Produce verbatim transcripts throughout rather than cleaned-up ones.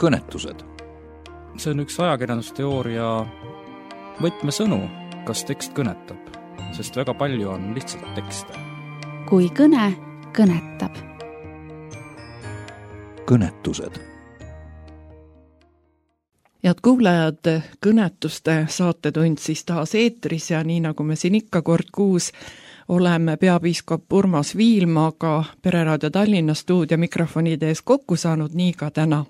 kõnetused. See on üks ajakirjandusteooria võtmesõnu, kas tekst kõnetab, sest väga palju on lihtsalt tekste. Kui kõne kõnetab. Kõnetused. Head kuulajad, kõnetuste saatetund siis taas eetris ja nii nagu me siin ikka kord kuus oleme peapiiskop Urmas Viilmaga Pereraadio Tallinna stuudio mikrofonide ees kokku saanud, nii ka täna.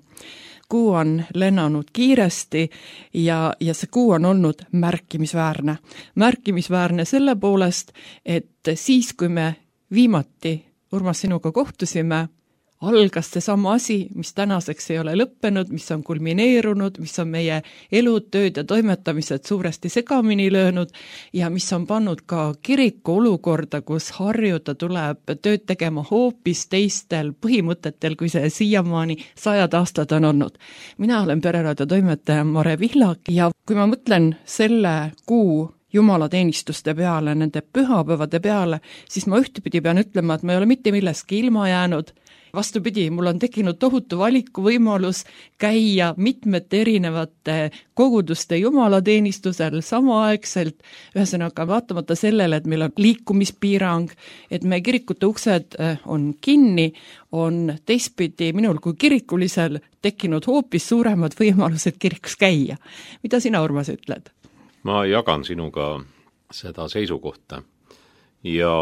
Kuu on lennanud kiiresti ja, ja see kuu on olnud märkimisväärne. Märkimisväärne selle poolest, et siis kui me viimati Urmas sinuga kohtusime, algas see sama asi, mis tänaseks ei ole lõppenud, mis on kulmineerunud, mis on meie elud, tööd ja toimetamised suuresti segamini löönud ja mis on pannud ka kiriku olukorda, kus harjuda tuleb tööd tegema hoopis teistel põhimõtetel, kui see siiamaani sajad aastad on olnud. Mina olen Pereraadio toimetaja Mare Vihlak ja kui ma mõtlen selle kuu jumalateenistuste peale, nende pühapäevade peale, siis ma ühtepidi pean ütlema, et ma ei ole mitte millestki ilma jäänud. Vastupidi, mul on tekkinud tohutu valiku võimalus käia mitmete erinevate koguduste jumalateenistusel samaaegselt, ühesõnaga vaatamata sellele, et meil on liikumispiirang, et meie kirikute uksed on kinni, on teistpidi minul kui kirikulisel tekkinud hoopis suuremad võimalused kirikus käia. Mida sina, Urmas, ütled? Ma jagan sinuga seda seisukohta ja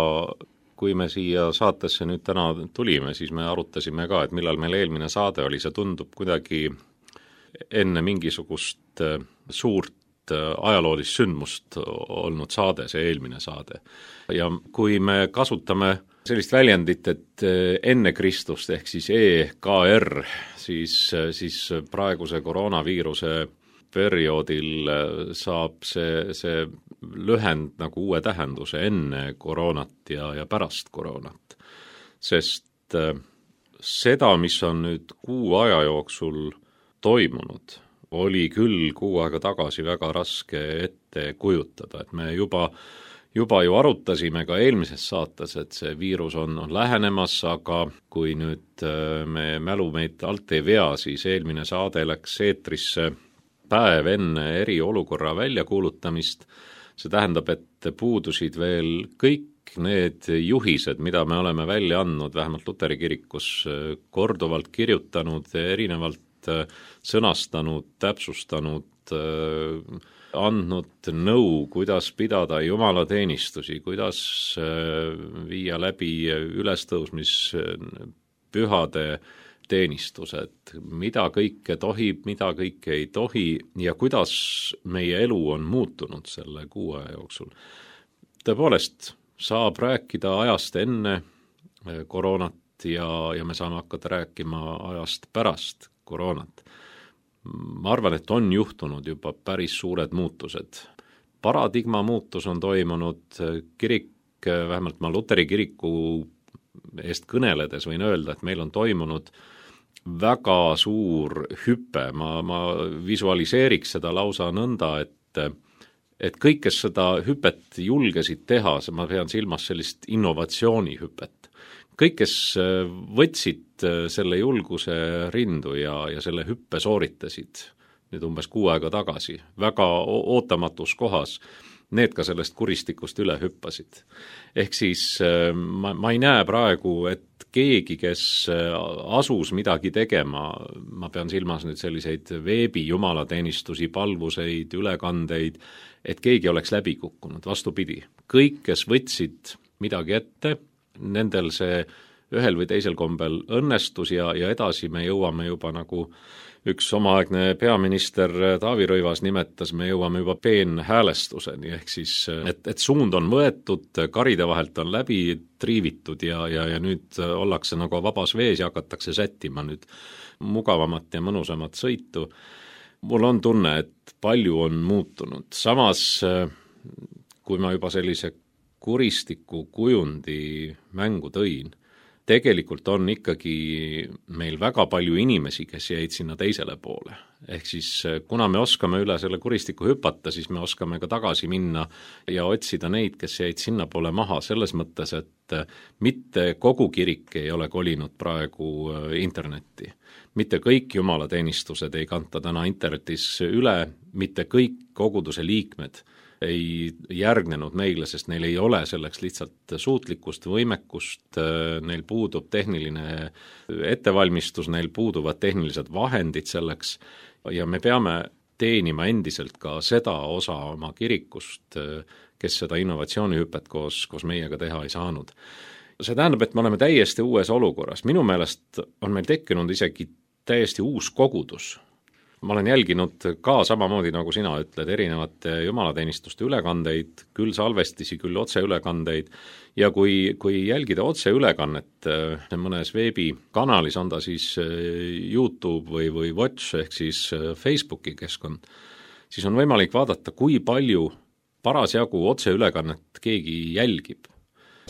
kui me siia saatesse nüüd täna tulime, siis me arutasime ka, et millal meil eelmine saade oli, see tundub kuidagi enne mingisugust suurt ajaloolist sündmust olnud saade, see eelmine saade. Ja kui me kasutame sellist väljendit, et enne Kristust ehk siis E K R, siis, siis praeguse koroonaviiruse perioodil saab see, see lühend nagu uue tähenduse enne koroonat ja, ja pärast koroonat. Sest seda, mis on nüüd kuu aja jooksul toimunud, oli küll kuu aega tagasi väga raske ette kujutada, et me juba, juba ju arutasime ka eelmises saates, et see viirus on, on lähenemas, aga kui nüüd me mälu meid alt ei vea, siis eelmine saade läks eetrisse päev enne eriolukorra väljakuulutamist. See tähendab, et puudusid veel kõik need juhised, mida me oleme välja andnud, vähemalt Luteri kirikus korduvalt kirjutanud, erinevalt sõnastanud, täpsustanud, andnud nõu, kuidas pidada jumalateenistusi, kuidas viia läbi ülestõusmis pühade teenistused, mida kõike tohib, mida kõike ei tohi ja kuidas meie elu on muutunud selle kuu aja jooksul. Tõepoolest, saab rääkida ajast enne koroonat ja, ja me saame hakata rääkima ajast pärast koroonat. Ma arvan, et on juhtunud juba päris suured muutused. Paradigma muutus on toimunud, kirik, vähemalt ma Luteri kiriku eest kõneledes võin öelda, et meil on toimunud väga suur hüpe, ma, ma visualiseeriks seda lausa nõnda, et, et kõik, kes seda hüpet julgesid teha, ma pean silmas sellist innovatsioonihüpet, kõik, kes võtsid selle julguse rindu ja, ja selle hüppe sooritasid nüüd umbes kuu aega tagasi, väga ootamatus kohas, need ka sellest kuristikust üle hüppasid. Ehk siis ma, ma ei näe praegu, et keegi, kes asus midagi tegema, ma pean silmas nüüd selliseid veebi jumalateenistusi, palvuseid, ülekandeid, et keegi oleks läbi kukkunud, vastupidi. Kõik, kes võtsid midagi ette, nendel see ühel või teisel kombel õnnestus ja, ja edasi me jõuame juba nagu üks omaaegne peaminister Taavi Rõivas nimetas, me jõuame juba peenhäälestuseni, ehk siis, et, et suund on võetud, karide vahelt on läbi triivitud ja, ja, ja nüüd ollakse nagu vabas vees ja hakatakse sättima nüüd mugavamat ja mõnusamat sõitu. Mul on tunne, et palju on muutunud. Samas, kui ma juba sellise kuristiku kujundi mängu tõin, tegelikult on ikkagi meil väga palju inimesi, kes jäid sinna teisele poole. Ehk siis kuna me oskame üle selle kuristiku hüpata, siis me oskame ka tagasi minna ja otsida neid, kes jäid sinna poole maha, selles mõttes, et mitte kogu kirik ei ole kolinud praegu internetti. Mitte kõik jumalateenistused ei kanta täna internetis üle, mitte kõik koguduse liikmed ei järgnenud meile, sest neil ei ole selleks lihtsalt suutlikkust, võimekust, neil puudub tehniline ettevalmistus, neil puuduvad tehnilised vahendid selleks ja me peame teenima endiselt ka seda osa oma kirikust, kes seda innovatsioonihüpet koos, koos meiega teha ei saanud. See tähendab, et me oleme täiesti uues olukorras. Minu meelest on meil tekkinud isegi täiesti uus kogudus. Ma olen jälginud ka samamoodi, nagu sina ütled, erinevate jumalateenistuste ülekandeid, küll salvestisi, küll otseülekandeid ja kui, kui jälgida otseülekannet mõnes veebikanalis, on ta siis YouTube või, või Watch ehk siis Facebooki keskkond, siis on võimalik vaadata, kui palju parasjagu otseülekannet keegi jälgib.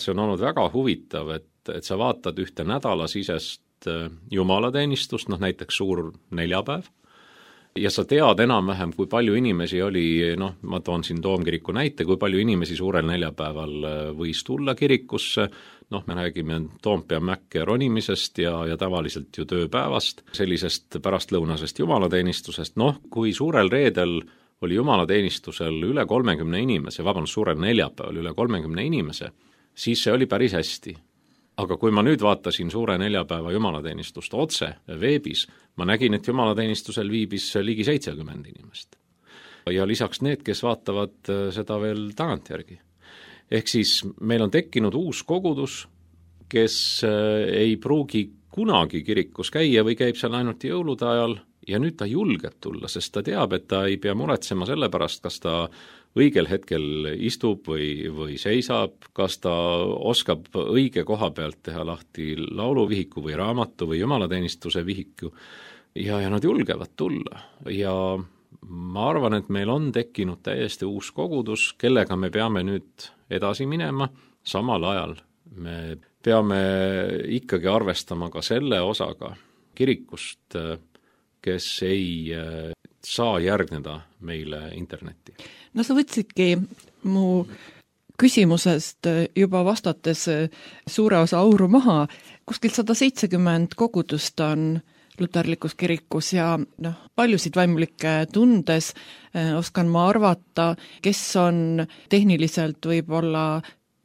See on olnud väga huvitav, et, et sa vaatad ühte nädalasisest jumalateenistust, noh näiteks suur neljapäev, ja sa tead enam-vähem, kui palju inimesi oli, noh, ma toon siin Toomkiriku näite, kui palju inimesi suurel neljapäeval võis tulla kirikusse, noh, me räägime Toompea mäkke ronimisest ja, ja tavaliselt ju tööpäevast, sellisest pärastlõunasest jumalateenistusest, noh, kui suurel reedel oli jumalateenistusel üle kolmekümne inimese, vabandust, suurel neljapäeval üle kolmekümne inimese, siis see oli päris hästi. Aga kui ma nüüd vaatasin suure neljapäeva jumalateenistust otse veebis, ma nägin, et jumalateenistusel viibis ligi seitsekümmend inimest. Ja lisaks need, kes vaatavad seda veel tagantjärgi. Ehk siis meil on tekkinud uus kogudus, kes ei pruugi kunagi kirikus käia või käib seal ainult jõulude ajal ja nüüd ta julgeb tulla, sest ta teab, et ta ei pea muretsema selle pärast, kas ta õigel hetkel istub või, või seisab, kas ta oskab õige koha pealt teha lahti lauluvihiku või raamatu või jumalateenistuse vihiku ja, ja nad julgevad tulla. Ja ma arvan, et meil on tekkinud täiesti uus kogudus, kellega me peame nüüd edasi minema, samal ajal me peame ikkagi arvestama ka selle osaga kirikust, kes ei saa järgneda meile internetti. No sa võtsidki mu küsimusest juba vastates suure osa auru maha. Kuskil sada seitsekümmend kogudust on luterlikus kirikus ja noh, paljusid vaimulikke tundes oskan ma arvata, kes on tehniliselt võib-olla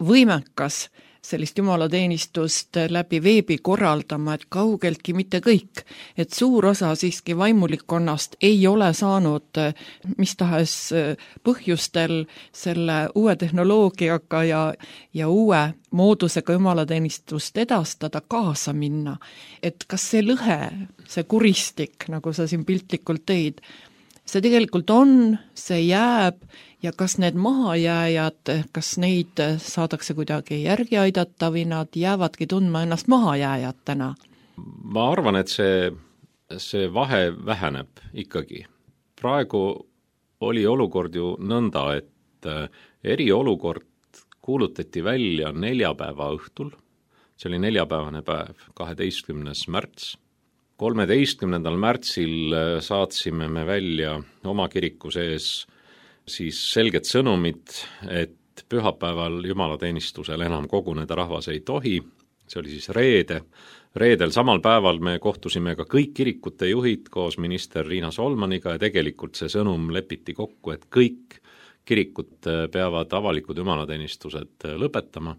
võimekas sellist jumalateenistust läbi veebi korraldama, et kaugeltki mitte kõik. Et suur osa siiski vaimulikkonnast ei ole saanud mis tahes põhjustel selle uue tehnoloogiaga ja, ja uue moodusega jumalateenistust edastada, kaasa minna. Et kas see lõhe, see kuristik, nagu sa siin piltlikult tõid, see tegelikult on, see jääb ja kas need mahajääjad, kas neid saadakse kuidagi järgi aidata või nad jäävadki tundma ennast mahajääjatena? Ma arvan, et see, see vahe väheneb ikkagi. Praegu oli olukord ju nõnda, et eriolukord kuulutati välja neljapäeva õhtul, see oli neljapäevane päev, kaheteistkümnes märts. kolmeteistkümnendal märtsil saatsime me välja oma kiriku sees siis selged sõnumid, et pühapäeval jumalateenistusel enam koguneda rahvas ei tohi, see oli siis reede. Reedel samal päeval me kohtusime ka kõik kirikute juhid koos minister Riina Solmaniga ja tegelikult see sõnum lepiti kokku, et kõik kirikud peavad avalikud jumalateenistused lõpetama.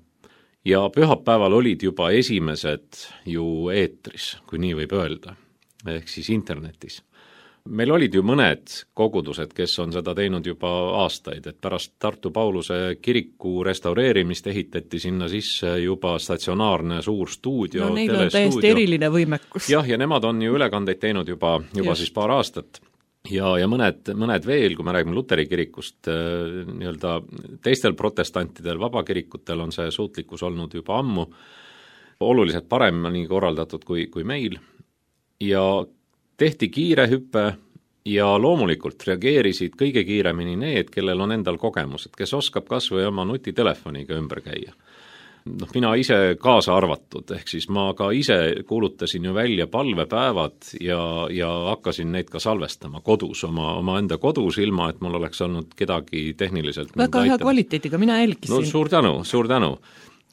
Ja pühapäeval olid juba esimesed ju eetris, kui nii võib öelda, ehk siis internetis. Meil olid ju mõned kogudused, kes on seda teinud juba aastaid, et pärast Tartu Pauluse kiriku restaureerimist ehitati sinna sisse juba statsionaarne suur stuudio. No neil on täiesti eriline võimekus. Jah, ja nemad on ju ülekandeid teinud juba, juba siis paar aastat. Ja, ja mõned, mõned veel, kui me räägime Luteri kirikust, nii-öelda teistel protestantidel, vabakirikutel on see suutlikkus olnud juba ammu, oluliselt paremini korraldatud kui, kui meil. Ja tehti kiire hüpe ja loomulikult reageerisid kõige kiiremini need, kellel on endal kogemused, kes oskab kas või oma nutitelefoniga ümber käia. noh, mina ise kaasa arvatud, ehk siis ma ka ise kuulutasin ju välja palvepäevad ja, ja hakkasin neid ka salvestama kodus, oma, oma enda kodus, ilma et mul oleks olnud kedagi tehniliselt väga hea kvaliteediga, mina jälgisin. No suur tänu, suur tänu.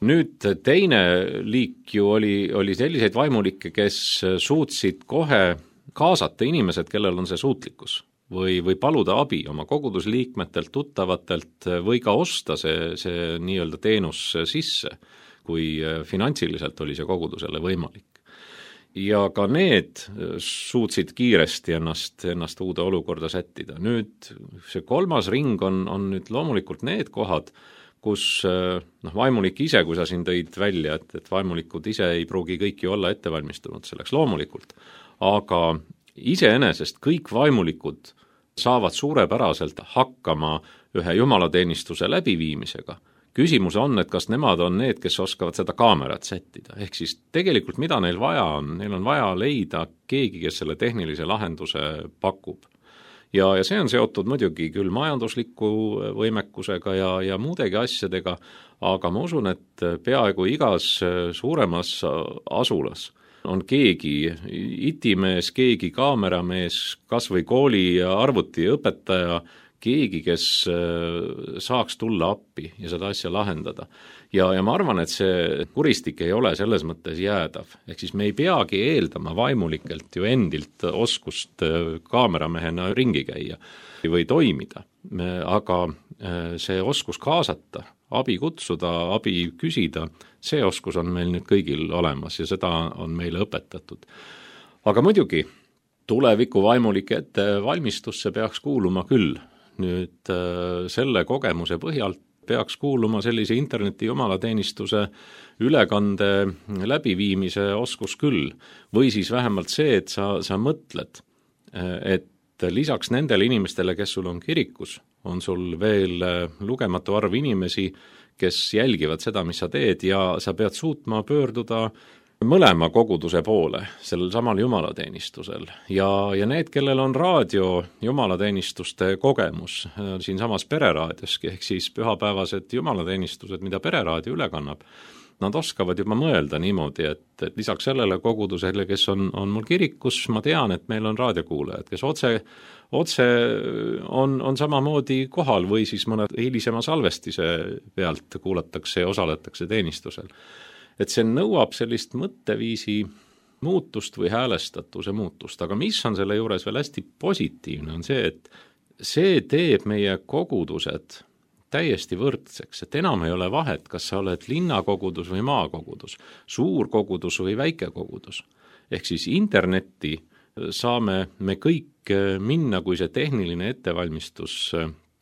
Nüüd teine liik ju oli, oli selliseid vaimulikke, kes suutsid kohe kaasata inimesed, kellel on see suutlikkus või, või paluda abi oma kogudusliikmetelt, tuttavatelt või ka osta see, see nii-öelda teenus sisse, kui finantsiliselt oli see kogudusele võimalik. Ja ka need suutsid kiiresti ennast, ennast uude olukorda sättida. Nüüd see kolmas ring on, on nüüd loomulikult need kohad, kus noh, vaimulik ise, kui sa siin tõid välja, et, et vaimulikud ise ei pruugi kõiki olla ettevalmistunud selleks loomulikult, aga iseenesest kõik vaimulikud saavad suurepäraselt hakkama ühe jumalateenistuse läbiviimisega. Küsimus on, et kas nemad on need, kes oskavad seda kaamerat sättida. Ehk siis tegelikult mida neil vaja on, neil on vaja leida keegi, kes selle tehnilise lahenduse pakub. Ja, ja see on seotud muidugi küll majandusliku võimekusega ja, ja muudegi asjadega, aga ma usun, et peaaegu igas suuremas asulas on keegi itimees, keegi kaameramees, kas või kooli arvutiõpetaja, keegi, kes saaks tulla appi ja seda asja lahendada. Ja, ja ma arvan, et see kuristik ei ole selles mõttes jäädav. Ehk siis me ei peagi eeldama vaimulikelt ju endilt oskust kaameramehena ringi käia või toimida, aga see oskus kaasata, abi kutsuda, abi küsida, see oskus on meil nüüd kõigil olemas ja seda on meile õpetatud. Aga muidugi tuleviku vaimulike ettevalmistusse peaks kuuluma küll. Nüüd selle kogemuse põhjalt peaks kuuluma sellise interneti jumalateenistuse ülekande läbiviimise oskus küll. Või siis vähemalt see, et sa, sa mõtled, et lisaks nendele inimestele, kes sul on kirikus, on sul veel lugematu arv inimesi, kes jälgivad seda, mis sa teed ja sa pead suutma pöörduda mõlema koguduse poole sellel samal jumalateenistusel ja, ja need, kellel on raadio jumalateenistuste kogemus siin samas pereraadioski, ehk siis pühapäevased jumalateenistused, mida pereraadio üle kannab, nad oskavad juba mõelda niimoodi, et, et lisaks sellele kogudusele, kes on, on mul kirikus, ma tean, et meil on raadiokuulajad, kes otse, otse on, on samamoodi kohal või siis mõne hilisema salvestise pealt kuulatakse ja osaletakse teenistusel. Et see nõuab sellist mõtteviisi muutust või häälestatuse muutust, aga mis on selle juures veel hästi positiivne, on see, et see teeb meie kogudused täiesti võrdseks, et enam ei ole vahet, kas sa oled linnakogudus või maakogudus, suur kogudus või väike kogudus. Ehk siis internetti saame me kõik minna, kui see tehniline ettevalmistus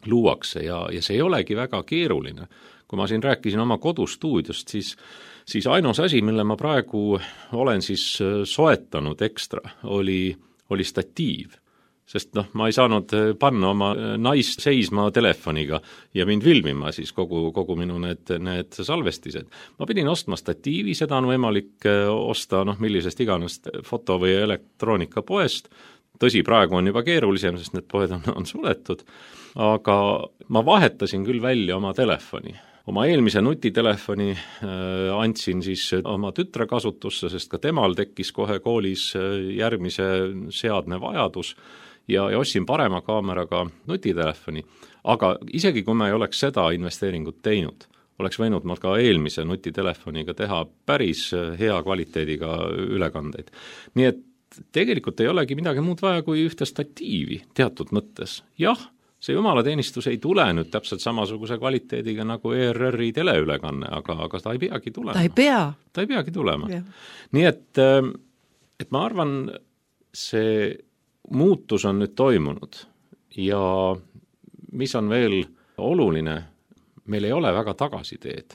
luuakse ja, ja see ei olegi väga keeruline. Kui ma siin rääkisin oma kodustuudiost, siis siis ainus asi, mille ma praegu olen siis soetanud ekstra, oli, oli statiiv. Sest noh, ma ei saanud panna oma naist seisma telefoniga ja mind filmima siis kogu, kogu minu need, need salvestised. Ma pidin ostma statiivi, seda on võimalik osta noh, millisest iganest foto- või elektroonikapoest. Tõsi, praegu on juba keerulisem, sest need poed on, on suletud, aga ma vahetasin küll välja oma telefoni. Oma eelmise nutitelefoni äh, andsin siis oma tütre kasutusse, sest ka temal tekkis kohe koolis järgmise seadme vajadus ja, ja ostsin parema kaameraga nutitelefoni. Aga isegi kui ma ei oleks seda investeeringut teinud, oleks võinud ma ka eelmise nutitelefoniga teha päris hea kvaliteediga ülekandeid. Nii et tegelikult ei olegi midagi muud vaja kui ühte statiivi teatud mõttes. Jah, see jumalateenistus ei tule nüüd täpselt samasuguse kvaliteediga nagu E R R-i teleülekanne, aga, aga ta ei peagi tulema. Ta ei pea. Ta ei peagi tulema. Ja. Nii et, et ma arvan, see muutus on nüüd toimunud ja mis on veel oluline, meil ei ole väga tagasiteed,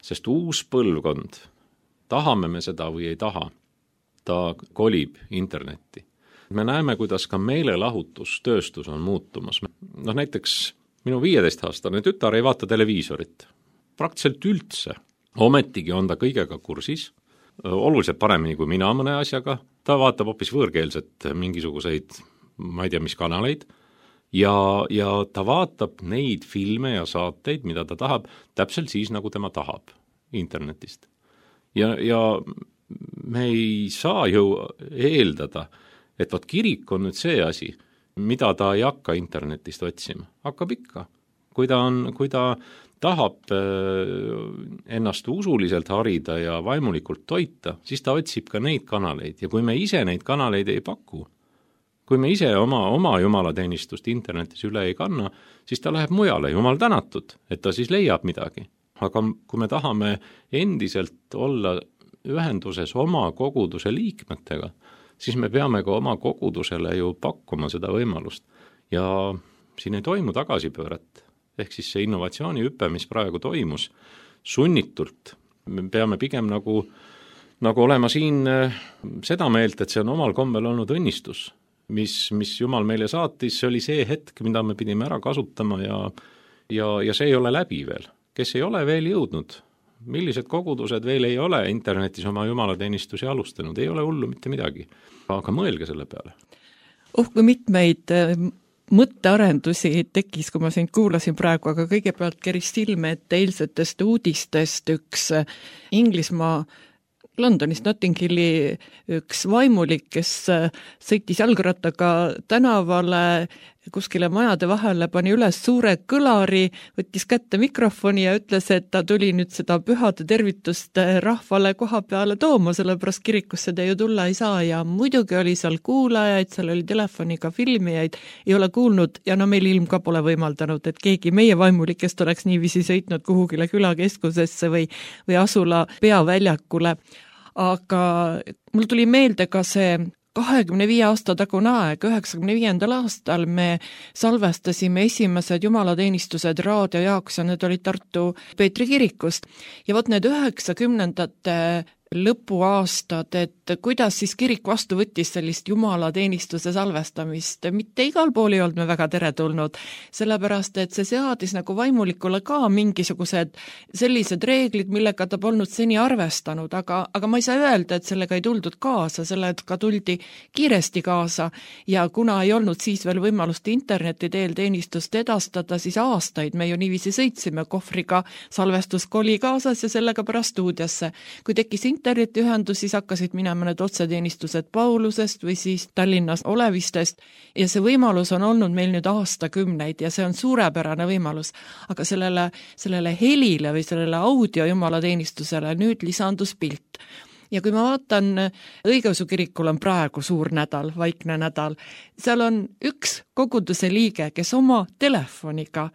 sest uus põlvkond, tahame me seda või ei taha, ta kolib internetti. Me näeme, kuidas ka meelelahutustööstus on muutumas. Noh, näiteks minu viieteistaastane tütar ei vaata televiisorit. Praktiliselt üldse. Ometigi on ta kõigega kursis, oluliselt paremini kui mina mõne asjaga. Ta vaatab hoopis võõrkeelset mingisuguseid, ma ei tea, mis kanaleid, ja, ja ta vaatab neid filme ja saateid, mida ta tahab, täpselt siis, nagu tema tahab. internetist. Ja, ja me ei saa ju eeldada, et vaat kirik on nüüd see asi, mida ta ei hakka internetist otsima. Hakkab ikka. Kui ta, on, kui ta tahab ennast usuliselt harida ja vaimulikult toita, siis ta otsib ka neid kanaleid. Ja kui me ise neid kanaleid ei paku, kui me ise oma, oma jumalateenistust internetis üle ei kanna, siis ta läheb mujale, jumal tänatud, et ta siis leiab midagi. Aga kui me tahame endiselt olla ühenduses oma koguduse liikmetega, siis me peame ka oma kogudusele ju pakkuma seda võimalust. Ja siin ei toimu tagasipööret. Ehk siis see innovatsioonihüpe, mis praegu toimus, sunnitult. Me peame pigem nagu, nagu olema siin seda meelt, et see on omal kombel olnud õnnistus, mis, mis Jumal meile saatis. See oli see hetk, mida me pidime ära kasutama ja, ja, ja see ei ole läbi veel. Kes ei ole veel jõudnud, millised kogudused veel ei ole internetis oma jumalateenistusi alustanud, ei ole hullu mitte midagi. Aga mõelge selle peale. Oh, kui mitmeid mõttearendusi tekkis, kui ma sind kuulasin praegu, aga kõigepealt keris silme, et eilsetest uudistest üks Inglismaa Londonist Notting Hilli üks vaimulik, kes sõitis jalgrattaga tänavale kuskile majade vahele, pani üles suure kõlari, võttis kätte mikrofoni ja ütles, et ta tuli nüüd seda pühade tervitust rahvale koha peale tooma, sellepärast kirikusse te ju tulla ei saa ja muidugi oli seal kuulajaid, seal oli telefoniga filmijaid, ei ole kuulnud ja no meil ilm ka pole võimaldanud, et keegi meie vaimulikest oleks niiviisi sõitnud kuhugile külakeskusesse või, või asula peaväljakule. Aga mul tuli meelde ka see kahekümne viie aasta tagune aeg, üheksakümne viiendal aastal me salvestasime esimesed jumalateenistused raadio jaoks ja need olid Tartu Peetri kirikust. Ja võt need üheksakümnendate lõpuaastad, et kuidas siis kirik vastu võttis sellist jumalateenistuse salvestamist. Mitte igal pool ei olnud me väga teretulnud, sellepärast et see seadis nagu vaimulikule ka mingisugused sellised reeglid, millega ta polnud seni arvestanud, aga, aga ma ei saa öelda, et sellega ei tuldud kaasa, sellega tuldi kiiresti kaasa ja kuna ei olnud siis veel võimalust interneti teel teenistust edastada, siis aastaid me ju niiviisi sõitsime kohvriga salvestuskoli kaasas ja sellega pärast stuudiosse. Kui tekkis internetiühendus, siis hakkasid minema need otseteenistused Paulusest või siis Tallinnas Olevistest ja see võimalus on olnud meil nüüd aastakümneid ja see on suurepärane võimalus, aga sellele, sellele helile või sellele audio jumalateenistusele nüüd lisandus pilt. Ja kui ma vaatan, Õigeusu kirikul on praegu suur nädal, vaikne nädal, seal on üks koguduse liige, kes oma telefoniga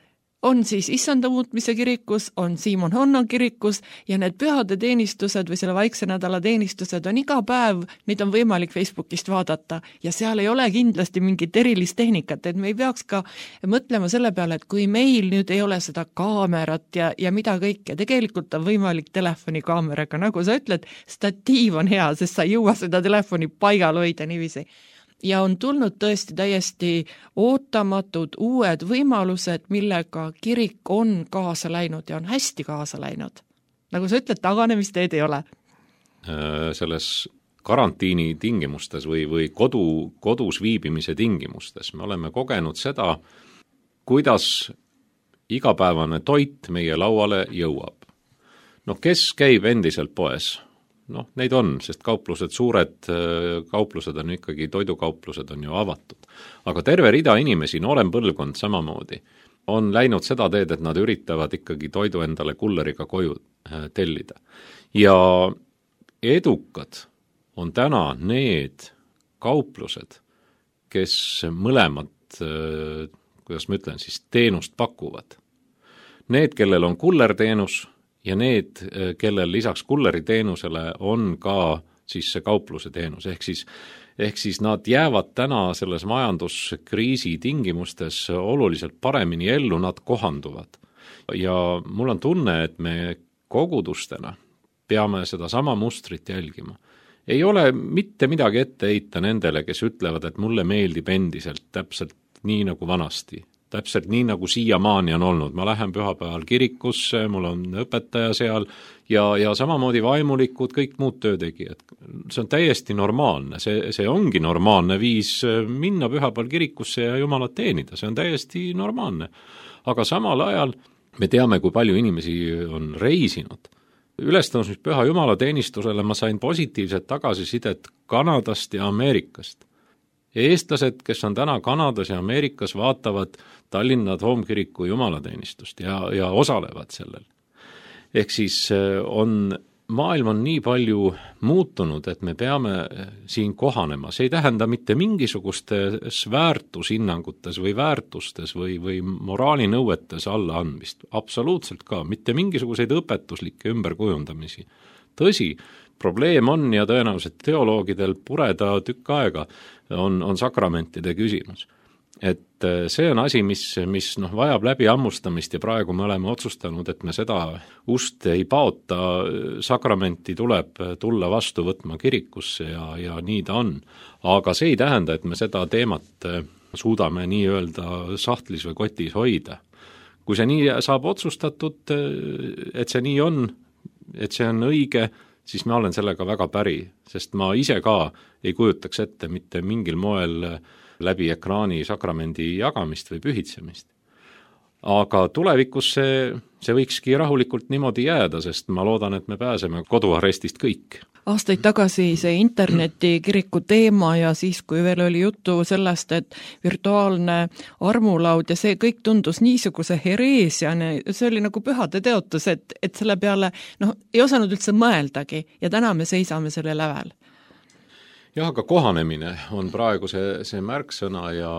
on siis Issanda muutmise kirikus, on Siimon Honno kirikus ja need pühade teenistused või selle vaikse nädala teenistused on iga päev, neid on võimalik Facebookist vaadata ja seal ei ole kindlasti mingit erilist tehnikat, et me ei peaks ka mõtlema selle peale, et kui meil nüüd ei ole seda kaamerat ja, ja mida kõike, tegelikult on võimalik telefonikaameraga, nagu sa ütled, statiiv on hea, sest sa ei jõua seda telefoni paigal hoida niiviisi. Ja on tulnud tõesti täiesti ootamatud uued võimalused, millega kirik on kaasa läinud ja on hästi kaasa läinud. Nagu sa ütled, taganemisteed ei ole. Selles karantiini tingimustes või, või kodu, kodus viibimise tingimustes me oleme kogenud seda, kuidas igapäevane toit meie lauale jõuab. No kes käib endiselt poes? Noh, neid on, sest kauplused, suured kauplused on ikkagi, toidukauplused on ju avatud. Aga terve rida inimesi, noorem põlvkond samamoodi, on läinud seda teed, et nad üritavad ikkagi toidu endale kulleriga koju tellida. Ja edukad on täna need kauplused, kes mõlemad, kuidas ma ütlen, siis teenust pakuvad. Need, kellel on kullerteenus, ja need, kellel lisaks kulleri teenusele on ka siis see kaupluse teenus, ehk siis, ehk siis nad jäävad täna selles majanduskriisi tingimustes oluliselt paremini ellu, nad kohanduvad. Ja mul on tunne, et me kogudustena peame seda sama mustrit jälgima. Ei ole mitte midagi ette heita nendele, kes ütlevad, et mulle meeldib endiselt täpselt nii nagu vanasti. Täpselt nii, nagu siiamaani on olnud. Ma lähen pühapäeval kirikusse, mul on õpetaja seal ja, ja samamoodi vaimulikud, kõik muud töötegijad. See on täiesti normaalne. See, see ongi normaalne viis minna pühapäeval kirikusse ja Jumalat teenida. See on täiesti normaalne. Aga samal ajal me teame, kui palju inimesi on reisinud ülestõusmispüha jumalateenistusele ma sain positiivset tagasisidet Kanadast ja Ameerikast. Eestlased, kes on täna Kanadas ja Ameerikas, vaatavad Tallinna Toomkiriku jumalateenistust ja, ja osalevad sellel. Ehk siis on, maailm on nii palju muutunud, et me peame siin kohanema. See ei tähenda mitte mingisugustes väärtushinnangutes või väärtustes või, või moraalinõuetes allaandmist. Absoluutselt ka, mitte mingisuguseid õpetuslikke ümberkujundamisi. Tõsi, probleem on ja tõenäoliselt teoloogidel pureda tükk aega on, on sakramentide küsimus. Et see on asi, mis, mis noh, vajab läbi ammustamist ja praegu me oleme otsustanud, et me seda ust ei paota, sakramenti tuleb tulla vastu võtma kirikusse ja, ja nii ta on. Aga see ei tähenda, et me seda teemat suudame nii-öelda sahtlis või kotis hoida. Kui see nii saab otsustatud, et see nii on, et see on õige, siis ma olen sellega väga päri, sest ma ise ka ei kujutaks ette mitte mingil moel läbi ekraani sakramendi jagamist või pühitsemist. Aga tulevikus see, see võikski rahulikult niimoodi jääda, sest ma loodan, et me pääseme koduarestist kõik. Aastaid tagasi see internetikiriku teema ja siis, kui veel oli juttu sellest, et virtuaalne armulaud ja see kõik tundus niisuguse hereesiane, see oli nagu pühade teotus, et, et selle peale noh, ei osanud üldse mõeldagi ja täna me seisame selle lävel. Jah, aga kohanemine on praegu see, see märksõna ja,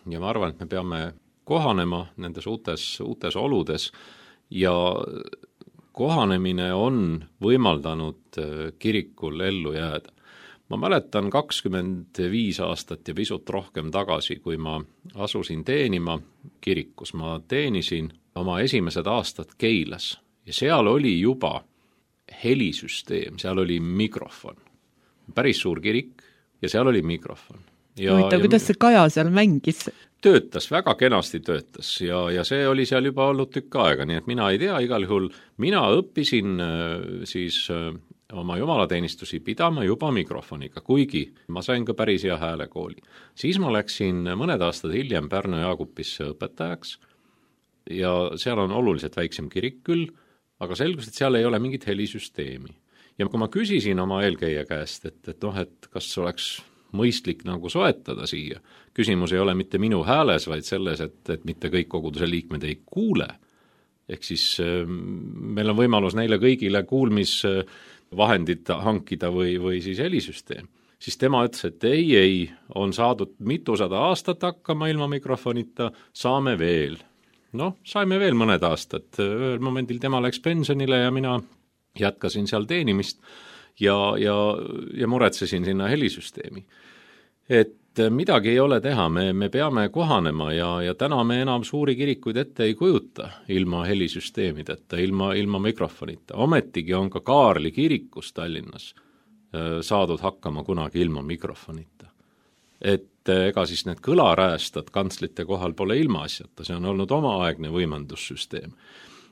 ja ma arvan, et me peame kohanema nendes uutes, uutes oludes ja kohanemine on võimaldanud kirikul ellu jääda. Ma mäletan kakskümmend viis aastat ja pisut rohkem tagasi, kui ma asusin teenima kirikus. Ma teenisin oma esimesed aastad Keilas ja seal oli juba helisüsteem, seal oli mikrofon. Päris suur kirik ja seal oli mikrofon. Ja, Võita, ja kuidas see Kaja seal mängis? Töötas, väga kenasti töötas ja, ja see oli seal juba olnud tükk aega, nii et mina ei tea, igal juhul mina õppisin siis oma jumalateenistusi pidama juba mikrofoniga, kuigi ma sain ka päris hea häälekooli. Siis ma läksin mõned aastad hiljem Pärnu Jaagupisse õpetajaks ja seal on oluliselt väiksem kirik küll, aga selgus, et seal ei ole mingit helisüsteemi. Ja kui ma küsisin oma eelkäija käest, et, et noh, et kas oleks mõistlik nagu soetada siia, küsimus ei ole mitte minu hääles, vaid selles, et, et mitte kõik koguduse liikmed ei kuule. Ehk siis meil on võimalus neile kõigile kuulmisvahendid hankida või, või siis helisüsteem. Siis tema ütles, et ei, ei, on saadud mitusada aastat hakkama ilma mikrofonita, saame veel. Noh, saime veel mõned aastad. Ühel momendil tema läks pensionile ja mina jätkasin seal teenimist ja, ja, ja muretsesin sinna helisüsteemi. Et midagi ei ole teha, me, me peame kohanema ja, ja täna me enam suuri kirikuid ette ei kujuta ilma helisüsteemideta, ilma, ilma mikrofonita. Ometigi on ka Kaarli kirikus Tallinnas saadud hakkama kunagi ilma mikrofonita. Et ega siis need kõlaräästad kantslite kohal pole ilmaasjata, see on olnud omaaegne võimendussüsteem.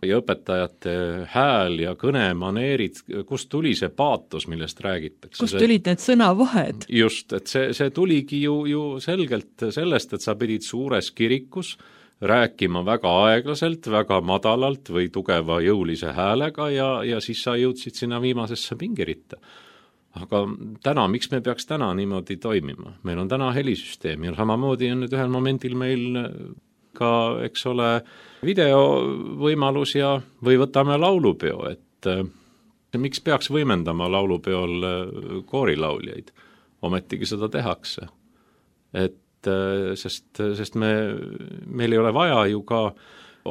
Ja õpetajate hääl ja kõne, maneerid, kust tuli see paatos, millest räägitakse? Kust tulid need sõnavahed? Just, et see, see tuligi ju, ju selgelt sellest, et sa pidid suures kirikus rääkima väga aeglaselt, väga madalalt või tugeva jõulise häälega ja, ja siis sa jõudsid sinna viimasesse pingiritta. Aga täna, miks me peaks täna niimoodi toimima? Meil on täna helisüsteem ja samamoodi on nüüd ühel momendil meil ka, eks ole, videovõimalus ja või võtame laulupeo, et miks peaks võimendama laulupeol koorilauljaid? Ometigi seda tehakse. Et sest, sest me, meil ei ole vaja ju ka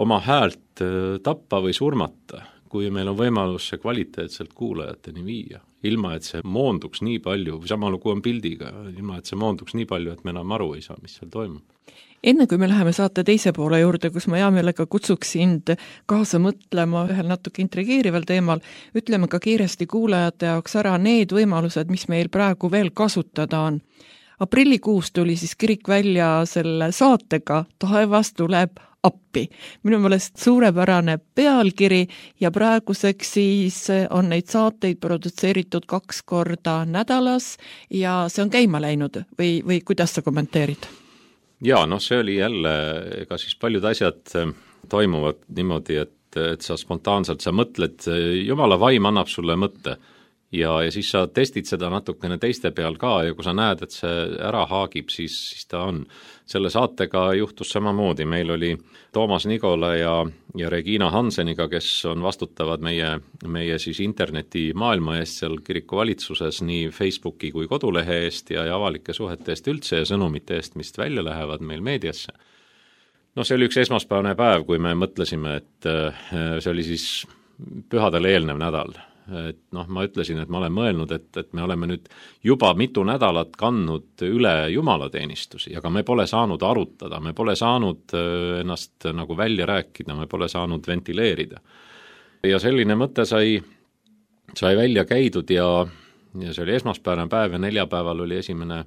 oma häält tappa või surmata, kui meil on võimalus see kvaliteetselt kuulajateni viia, ilma et see moonduks nii palju, või sama lugu on pildiga, ilma et see moonduks nii palju, et me enam aru ei saa, mis seal toimub. Enne kui me läheme saate teise poole juurde, kus ma hea meelega kutsuks sind kaasa mõtlema ühel natuke intrigeerival teemal, ütleme ka kiiresti kuulajate jaoks ära need võimalused, mis meil praegu veel kasutada on. Aprillikuus tuli siis kirik välja selle saatega Taevas tuleb appi. Minu meelest suurepärane pealkiri ja praeguseks siis on neid saateid produtseeritud kaks korda nädalas ja see on käima läinud või, või kuidas sa kommenteerid? Jaa, noh see oli jälle, ega siis paljud asjad toimuvad niimoodi, et et sa spontaanselt, sa mõtled, jumala vaim annab sulle mõtte ja, ja siis sa testid seda natukene teiste peal ka ja kui sa näed, et see ära haagib, siis, siis ta on. Selle saatega juhtus samamoodi, meil oli Toomas Nigola ja, ja Regina Hanseniga, kes on vastutavad meie, meie siis interneti maailma eest seal kiriku valitsuses nii Facebooki kui kodulehe eest ja, ja avalike suhete eest üldse ja sõnumite eest, mis välja lähevad meil meediasse. No see oli üks esmaspäevane päev, kui me mõtlesime, et see oli siis pühadele eelnev nädal. Et noh, ma ütlesin, et ma olen mõelnud, et, et me oleme nüüd juba mitu nädalat kandnud üle jumalateenistusi, aga me pole saanud arutada, me pole saanud ennast nagu välja rääkida, me pole saanud ventileerida. Ja selline mõte sai, sai välja käidud ja, ja see oli esmaspäevane päev ja neljapäeval oli esimene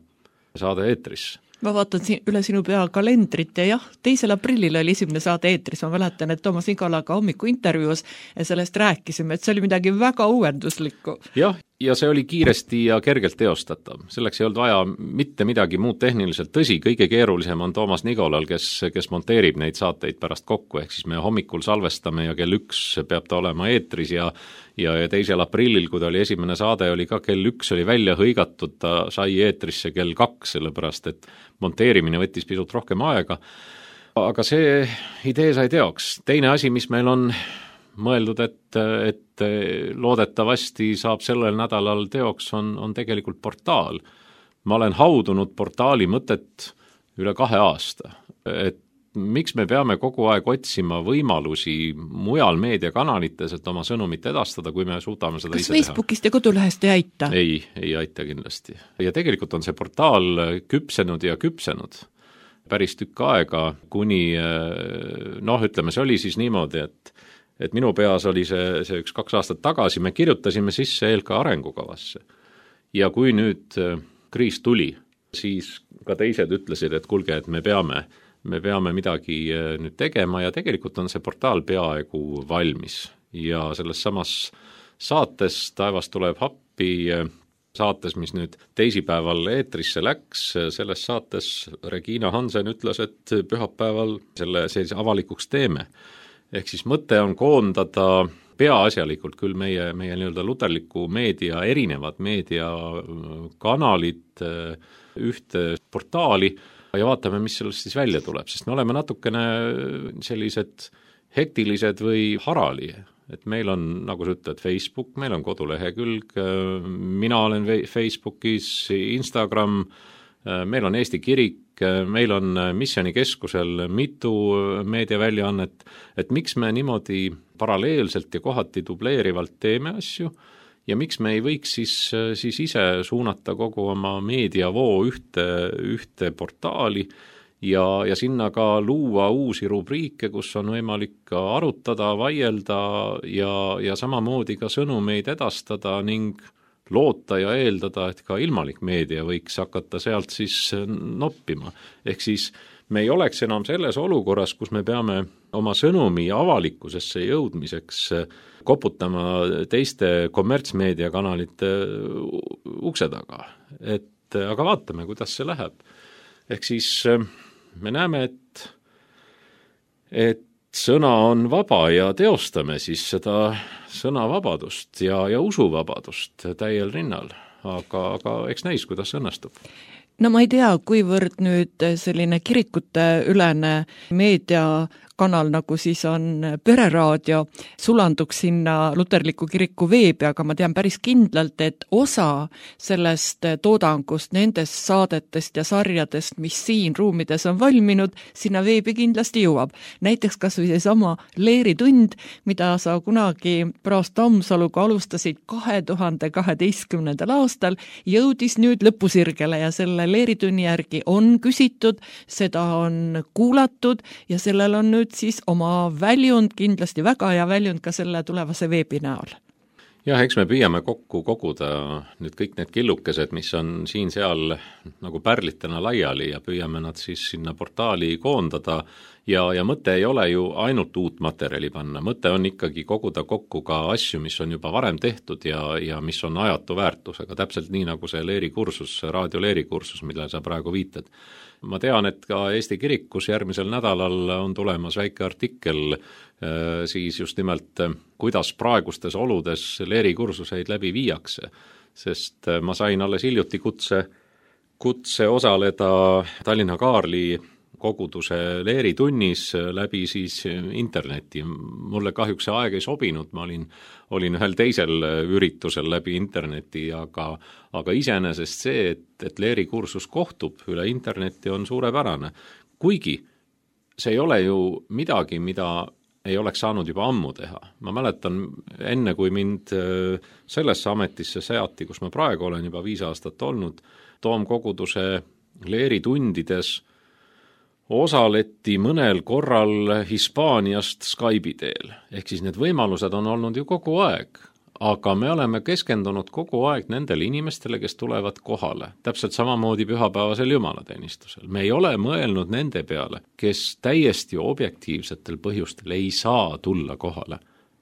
saade eetris. Ma vaatan siin üle sinu pea kalendrit ja jah, teisel aprillil oli esimene saade eetris, ma mäletan, et Toomas Nigolaga hommiku intervjuus ja sellest rääkisime, et see oli midagi väga uuenduslikku. Jah, ja see oli kiiresti ja kergelt teostatav. Selleks ei olnud vaja mitte midagi muud tehniliselt. Tõsi, kõige keerulisem on Toomas Nigolal, kes, kes monteerib neid saateid pärast kokku, ehk siis me hommikul salvestame ja kell üks peab ta olema eetris ja ja, ja teisel aprillil, kui ta oli esimene saade, oli ka kell üks oli välja hõigatud, ta sai eetrisse kell kaks, sellepärast et monteerimine võttis pisut rohkem aega. Aga see idee sai teoks. Teine asi, mis meil on mõeldud, et, et loodetavasti saab sellel nädalal teoks, on, on tegelikult portaal. Ma olen haudunud portaali mõtet üle kahe aasta, et miks me peame kogu aeg otsima võimalusi mujal meediakanalites, et oma sõnumit edastada, kui me suudame seda Kas ise Facebookist teha? Ja kodulehest ei aita? Ei, ei aita kindlasti. Ja tegelikult on see portaal küpsenud ja küpsenud päris tükk aega, kuni noh, ütleme, see oli siis niimoodi, et et minu peas oli see, see üks kaks aastat tagasi, me kirjutasime sisse E L K arengukavasse. Ja kui nüüd kriis tuli, siis ka teised ütlesid, et kulge, et me peame, me peame midagi nüüd tegema ja tegelikult on see portaal peaaegu valmis. Ja selles samas saates Taevas tuleb happi, saates, mis nüüd teisipäeval eetrisse läks, selles saates Regina Hansen ütles, et pühapäeval selle sellise avalikuks teeme. Ehk siis mõte on koondada peaasjalikult küll meie, meie nii-öelda luterliku meedia, erinevad meediakanalid ühte portaali ja vaatame, mis sellest siis välja tuleb, sest me oleme natukene sellised hektilised või harali, et meil on, nagu sa ütled, Facebook, meil on kodulehekülg, mina olen Facebookis, Instagram, meil on Eesti Kirik, meil on Missionikeskusel mitu meediaväljaannet, et miks me niimoodi paralleelselt ja kohati dubleerivalt teeme asju ja miks me ei võiks siis, siis ise suunata kogu oma meediavoo ühte, ühte portaali ja, ja sinna ka luua uusi rubriike, kus on võimalik ka arutada, vaielda ja, ja samamoodi ka sõnumeid edastada ning loota ja eeldada, et ka ilmalik meedia võiks hakata sealt siis noppima. Ehk siis me ei oleks enam selles olukorras, kus me peame oma sõnumi avalikkusesse jõudmiseks koputama teiste kommertsmeediakanalite ukse taga. Et, aga vaatame, kuidas see läheb. Ehk siis me näeme, et, et sõna on vaba ja teostame siis seda sõnavabadust ja, ja usuvabadust täiel rinnal, aga, aga eks näis, kuidas õnnestub. No ma ei tea, kuivõrd nüüd selline kirikute ülene meediakanal, nagu siis on Pereraadio, sulanduks sinna luterliku kiriku veebi, aga ma tean päris kindlalt, et osa sellest toodangust, nendest saadetest ja sarjadest, mis siin ruumides on valminud, sinna veebi kindlasti jõuab. Näiteks kas või see sama leeritund, mida sa kunagi Praast Tammsaluga alustasid kahe tuhande kaheteistkümnendal aastal, jõudis nüüd lõpusirgele ja selle leeritunni järgi on küsitud, seda on kuulatud ja sellel on nüüd siis oma väljund, kindlasti väga hea väljund ka selle tulevase veebi näol. Jah, eks me püüame kokku koguda nüüd kõik need killukesed, mis on siin-seal nagu pärlitena laiali ja püüame nad siis sinna portaali koondada ja, ja mõte ei ole ju ainult uut materjali panna, mõte on ikkagi koguda kokku ka asju, mis on juba varem tehtud ja, ja mis on ajatu väärtusega, täpselt nii nagu see leerikursus, raadio leerikursus, millele sa praegu viitad. Ma tean, et ka Eesti kirikus järgmisel nädalal on tulemas väike artikkel siis just nimelt, kuidas praegustes oludes leerikursuseid läbi viiakse, sest ma sain alles hiljuti kutse, kutse osaleda Tallinna Kaarli koguduse leeritunnis läbi siis interneti. Mulle kahjuks see aeg ei sobinud, ma olin, olin ühel teisel üritusel läbi interneti, aga, aga iseenesest see, et, et leerikursus kohtub üle interneti on suurepärane. Kuigi see ei ole ju midagi, mida ei oleks saanud juba ammu teha. Ma mäletan enne, kui mind sellesse ametisse seati, kus ma praegu olen juba viis aastat olnud, Toomkoguduse leeritundides osaleti mõnel korral Hispaaniast Skype'i teel. Ehk siis need võimalused on olnud ju kogu aeg, aga me oleme keskendunud kogu aeg nendele inimestele, kes tulevad kohale. Täpselt samamoodi pühapäevasel jumalateenistusel. Me ei ole mõelnud nende peale, kes täiesti objektiivsetel põhjustel ei saa tulla kohale.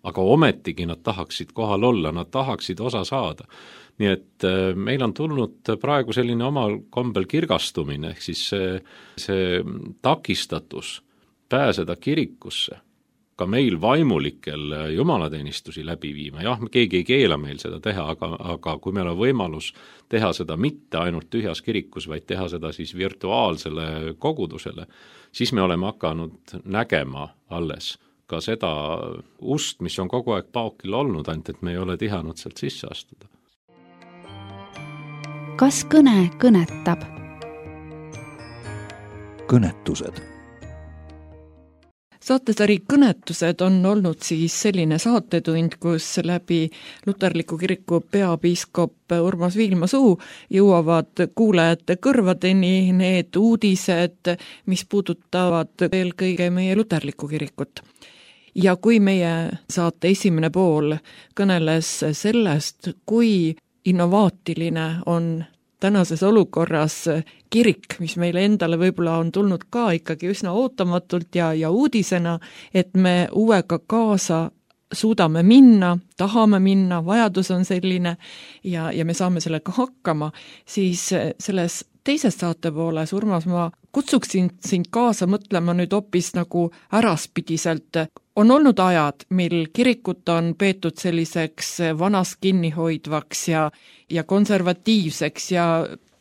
Aga ometigi nad tahaksid kohal olla, nad tahaksid osa saada. Nii et meil on tulnud praegu selline omal kombel kirgastumine, ehk siis see, see takistatus pääseda kirikusse, ka meil vaimulikel jumalateenistusi läbi viima. Jah, keegi ei keela meil seda teha, aga, aga kui meil on võimalus teha seda mitte ainult tühjas kirikus, vaid teha seda siis virtuaalsele kogudusele, siis me oleme hakanud nägema alles ka seda ust, mis on kogu aeg paokil olnud, ainult et me ei ole tihanud sealt sisse astuda. Kas kõne kõnetab? Kõnetused. Saatesari Kõnetused on olnud siis selline saatetund, kus läbi Luterliku kiriku peapiiskop Urmas Viilma suu jõuavad kuulajate kõrvadeni need uudised, mis puudutavad eelkõige meie Luterlikku kirikut. Ja kui meie saate esimene pool kõneles sellest, kui innovaatiline on tänases olukorras kirik, mis meile endale võib-olla on tulnud ka ikkagi üsna ootamatult ja, ja uudisena, et me uuega kaasa suudame minna, tahame minna, vajadus on selline ja, ja me saame sellega hakkama, siis selles teises saatepooles, Urmas, ma kutsuksin sind kaasa mõtlema nüüd hoopis nagu äraspidiselt. On olnud ajad, mil kirikut on peetud selliseks vanas kinnihoidvaks ja, ja konservatiivseks ja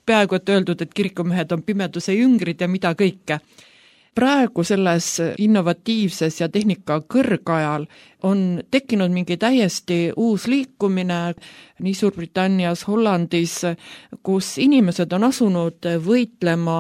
peaaegu et öeldud, et kirikumehed on pimeduse jüngrid ja mida kõike. Praegu selles innovatiivses ja tehnika kõrgajal on tekkinud mingi täiesti uus liikumine nii Suurbritannias, Hollandis, kus inimesed on asunud võitlema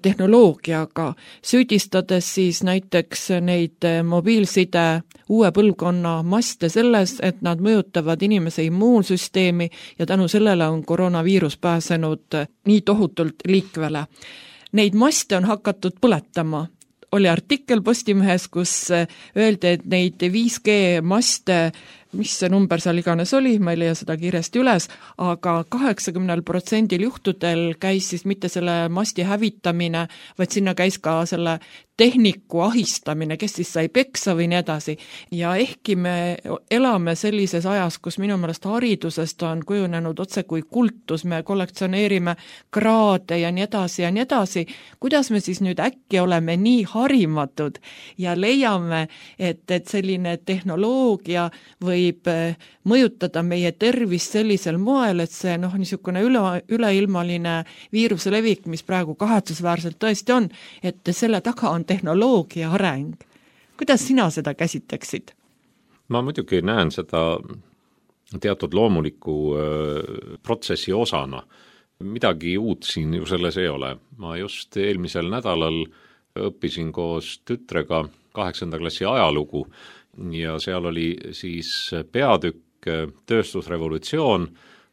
tehnoloogiaga, süüdistades siis näiteks neid mobiilside uue põlvkonna maste selles, et nad mõjutavad inimese immuunsüsteemi ja tänu sellele on koroonaviirus pääsenud nii tohutult liikvele. Neid maste on hakatud põletama. Oli artikkel Postimehes, kus öeldi, et neid viis G maste, mis see number seal iganes oli, ma ei leia seda kiiresti üles, aga kaheksakümmend protsenti juhtudel käis siis mitte selle masti hävitamine, vaid sinna käis ka selle tehniku ahistamine, kes siis sai peksa või nii edasi. Ja ehkki me elame sellises ajas, kus minu meelest haridusest on kujunenud otse kui kultus, me kollektsioneerime kraade ja nii edasi ja nii edasi, kuidas me siis nüüd äkki oleme nii harimatud ja leiame, et, et selline tehnoloogia võib mõjutada meie tervist sellisel moel, et see noh, niisugune üle, üleilmaline viiruse levik, mis praegu kahetsusväärselt tõesti on, et selle taga on tehnoloogia areng. Kuidas sina seda käsitleksid? Ma muidugi näen seda teatud loomuliku protsessi osana. Midagi uut siin ju selles ei ole. Ma just eelmisel nädalal õppisin koos tütrega kaheksanda klassi ajalugu ja seal oli siis peatükk tööstusrevolutsioon,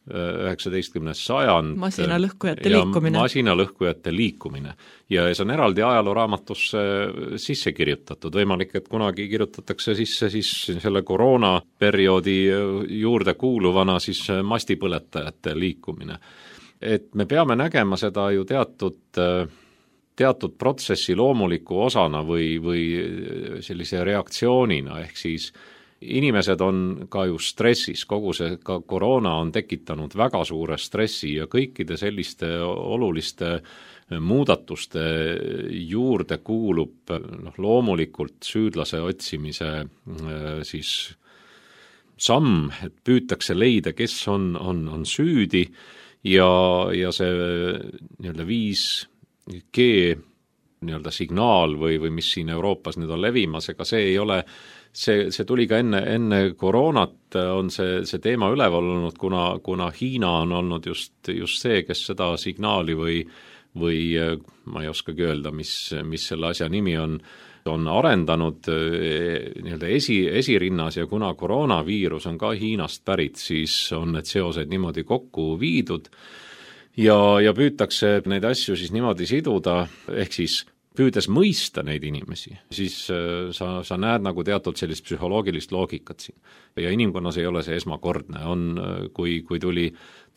üheksateistkümnes sajand. Masinalõhkujate liikumine. Masinalõhkujate liikumine. Ja see on eraldi ajalooraamatusse sisse kirjutatud. Võimalik, et kunagi kirjutatakse sisse siis selle koroonaperioodi juurde kuuluvana siis mastipõletajate liikumine. Et me peame nägema seda ju teatud teatud protsessi loomuliku osana või, või sellise reaktsioonina, ehk siis inimesed on ka ju stressis, kogu see ka koroona on tekitanud väga suure stressi ja kõikide selliste oluliste muudatuste juurde kuulub noh, loomulikult süüdlase otsimise siis samm, et püütakse leida, kes on, on, on süüdi ja, ja see nii-öelda viis G nii-öelda signaal või, või mis siin Euroopas nüüd on levimas, ega see ei ole See, see tuli ka enne, enne koroonat on see, see teema üleval olnud, kuna, kuna Hiina on olnud just, just see, kes seda signaali või, või ma ei oskagi öelda, mis, mis selle asja nimi on, on arendanud nii-öelda esi, esirinnas ja kuna koroonaviirus on ka Hiinast pärit, siis on need seosed niimoodi kokku viidud ja, ja püütakse neid asju siis niimoodi siduda, ehk siis püüdes mõista neid inimesi, siis sa, sa näed nagu teatud sellist psühholoogilist loogikat siin. Ja inimkonnas ei ole see esmakordne. On, kui, kui tuli,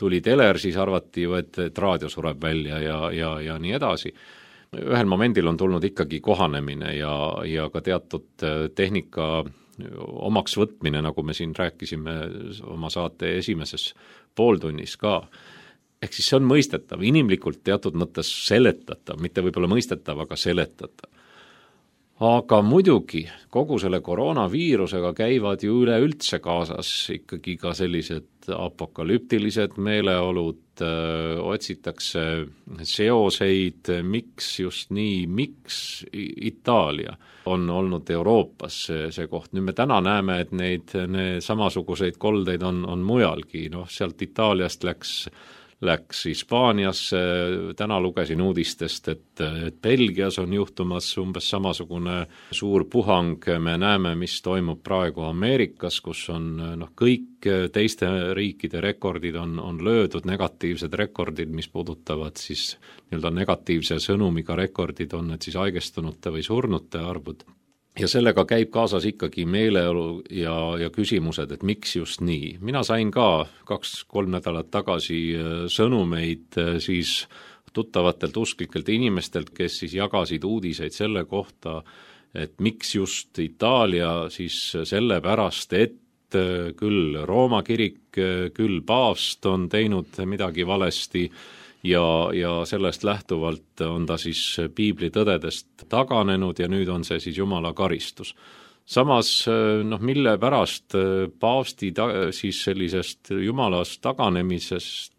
tuli teler, siis arvati, et, et raadio sureb välja ja, ja, ja nii edasi. Ühel momendil on tulnud ikkagi kohanemine ja, ja ka teatud tehnika omaks võtmine, nagu me siin rääkisime oma saate esimeses pooltunnis ka. Ehk siis see on mõistetav, inimlikult teatud mõttes seletatav, mitte võib-olla mõistetav, aga seletatav. Aga muidugi kogu selle koroonaviirusega käivad ju üleüldse kaasas ikkagi ka sellised apokalüptilised meeleolud, öö, otsitakse seoseid, miks just nii, miks Itaalia on olnud Euroopas see, see koht. Nüüd me täna näeme, et neid need samasuguseid koldeid on, on mujalgi, noh sealt Itaaliast läks läks Hispaaniasse, täna lugesin uudistest, et, et Belgias on juhtumas umbes samasugune suur puhang, me näeme, mis toimub praegu Ameerikas, kus on noh, kõik teiste riikide rekordid on, on löödud, negatiivsed rekordid, mis puudutavad siis nii-öelda negatiivse sõnumiga rekordid, on need siis haigestunute või surnute arvud. Ja sellega käib kaasas ikkagi meeleolu ja, ja küsimused, et miks just nii. Mina sain ka kaks-kolm nädalat tagasi sõnumeid siis tuttavatelt usklikelt inimestelt, kes siis jagasid uudiseid selle kohta, et miks just Itaalia siis sellepärast, et küll Rooma kirik, küll paavst on teinud midagi valesti, ja, ja sellest lähtuvalt on ta siis piibli tõdedest taganenud ja nüüd on see siis Jumala karistus. Samas, noh, mille pärast paavsti ta, siis sellisest Jumalast taganemisest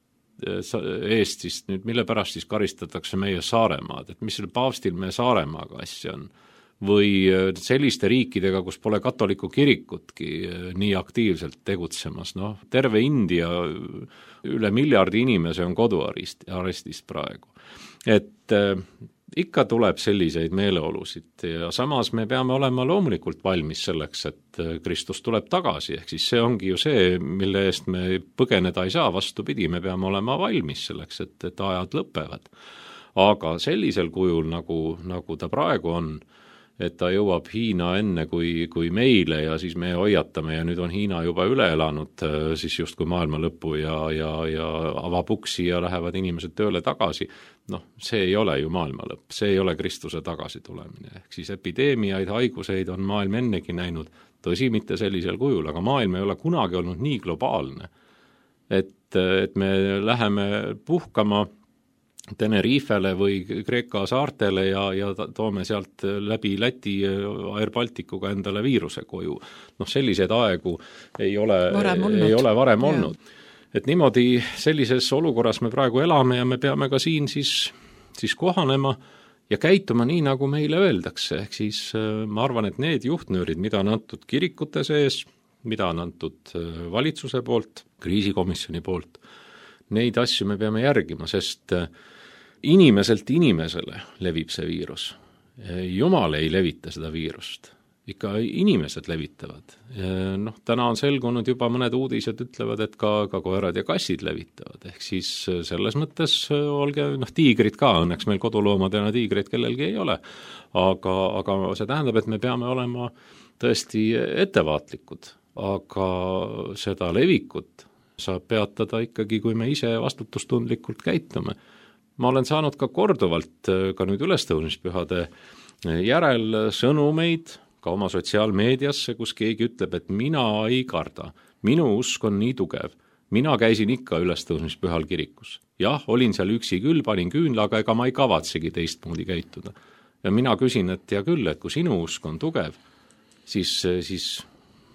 eest siis nüüd, mille pärast siis karistatakse meie Saaremaad, et mis selle paavstil meie Saaremaaga asja on? Või selliste riikidega, kus pole katoliku kirikutki nii aktiivselt tegutsemas, noh, terve India üle miljardi inimese on koduarestis praegu. Et äh, ikka tuleb selliseid meeleolusid ja samas me peame olema loomulikult valmis selleks, et Kristus tuleb tagasi, ehk siis see ongi ju see, mille eest me põgeneda ei saa, vastupidi, me peame olema valmis selleks, et, et ajad lõpevad. Aga sellisel kujul, nagu, nagu ta praegu on, et ta jõuab Hiina enne kui, kui meile ja siis me hoiatame ja nüüd on Hiina juba üle elanud siis just kui maailma lõpu ja, ja, ja avab uksi ja lähevad inimesed tööle tagasi. Noh, see ei ole ju maailma lõpp, see ei ole Kristuse tagasi tulemine. Ehk siis epideemiaid, haiguseid on maailm ennegi näinud, tõsi mitte sellisel kujul, aga maailm ei ole kunagi olnud nii globaalne, et, et me läheme puhkama Tenerifele või Kreeka saartele ja, ja toome sealt läbi Läti Air Balticuga endale viiruse koju. Noh, selliseid aegu ei ole varem olnud. Ei ole varem olnud. Et niimoodi sellises olukorras me praegu elame ja me peame ka siin siis, siis kohanema ja käituma nii, nagu meile öeldakse. Ehk siis ma arvan, et need juhtnöörid, mida on antud kirikute sees, mida on antud valitsuse poolt, kriisikomisjoni poolt, neid asju me peame järgima, sest inimeselt inimesele levib see viirus. Jumal ei levita seda viirust. Ikka inimesed levitavad. Noh, täna on selgunud juba mõned uudised ütlevad, et ka, ka koerad ja kassid levitavad. Ehk siis selles mõttes olge, noh, tiigrid ka, õnneks meil koduloomadena tiigreid kellelgi ei ole. Aga, aga see tähendab, et me peame olema tõesti ettevaatlikud. Aga seda levikut saab peatada ikkagi, kui me ise vastutustundlikult käitume. ma olen saanud ka korduvalt ka nüüd ülestõusmispühade järel sõnumeid ka oma sotsiaalmeediasse, kus keegi ütleb, et mina ei karda, minu usk on nii tugev, mina käisin ikka ülestõusmispühal kirikus. Jah, olin seal üksi küll, panin küünla, aga ega ma ei kavatsegi teistmoodi käituda. Ja mina küsin, et ja küll, et kui sinu usk on tugev, siis, siis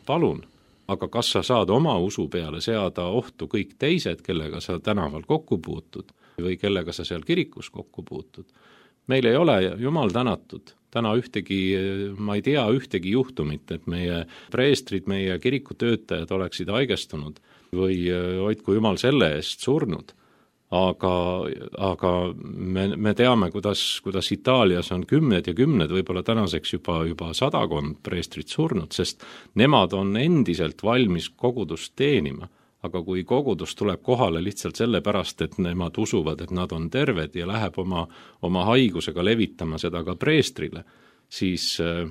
palun, aga kas sa saad oma usu peale seada ohtu kõik teised, kellega sa tänaval kokku puutud või kellega sa seal kirikus kokku puutud? Meil ei ole, jumal tänatud, täna ühtegi, ma ei tea ühtegi juhtumit, et meie preestrid, meie kirikutöötajad oleksid haigestunud või hoidku jumal selle eest surnud. Aga, aga me, me teame, kuidas, kuidas Itaalias on kümned ja kümned, võib-olla tänaseks juba, juba sadakond preestrit surnud, sest nemad on endiselt valmis kogudust teenima. Aga kui kogudus tuleb kohale lihtsalt selle pärast, et nemad usuvad, et nad on terved ja läheb oma, oma haigusega levitama seda ka preestrile, siis äh,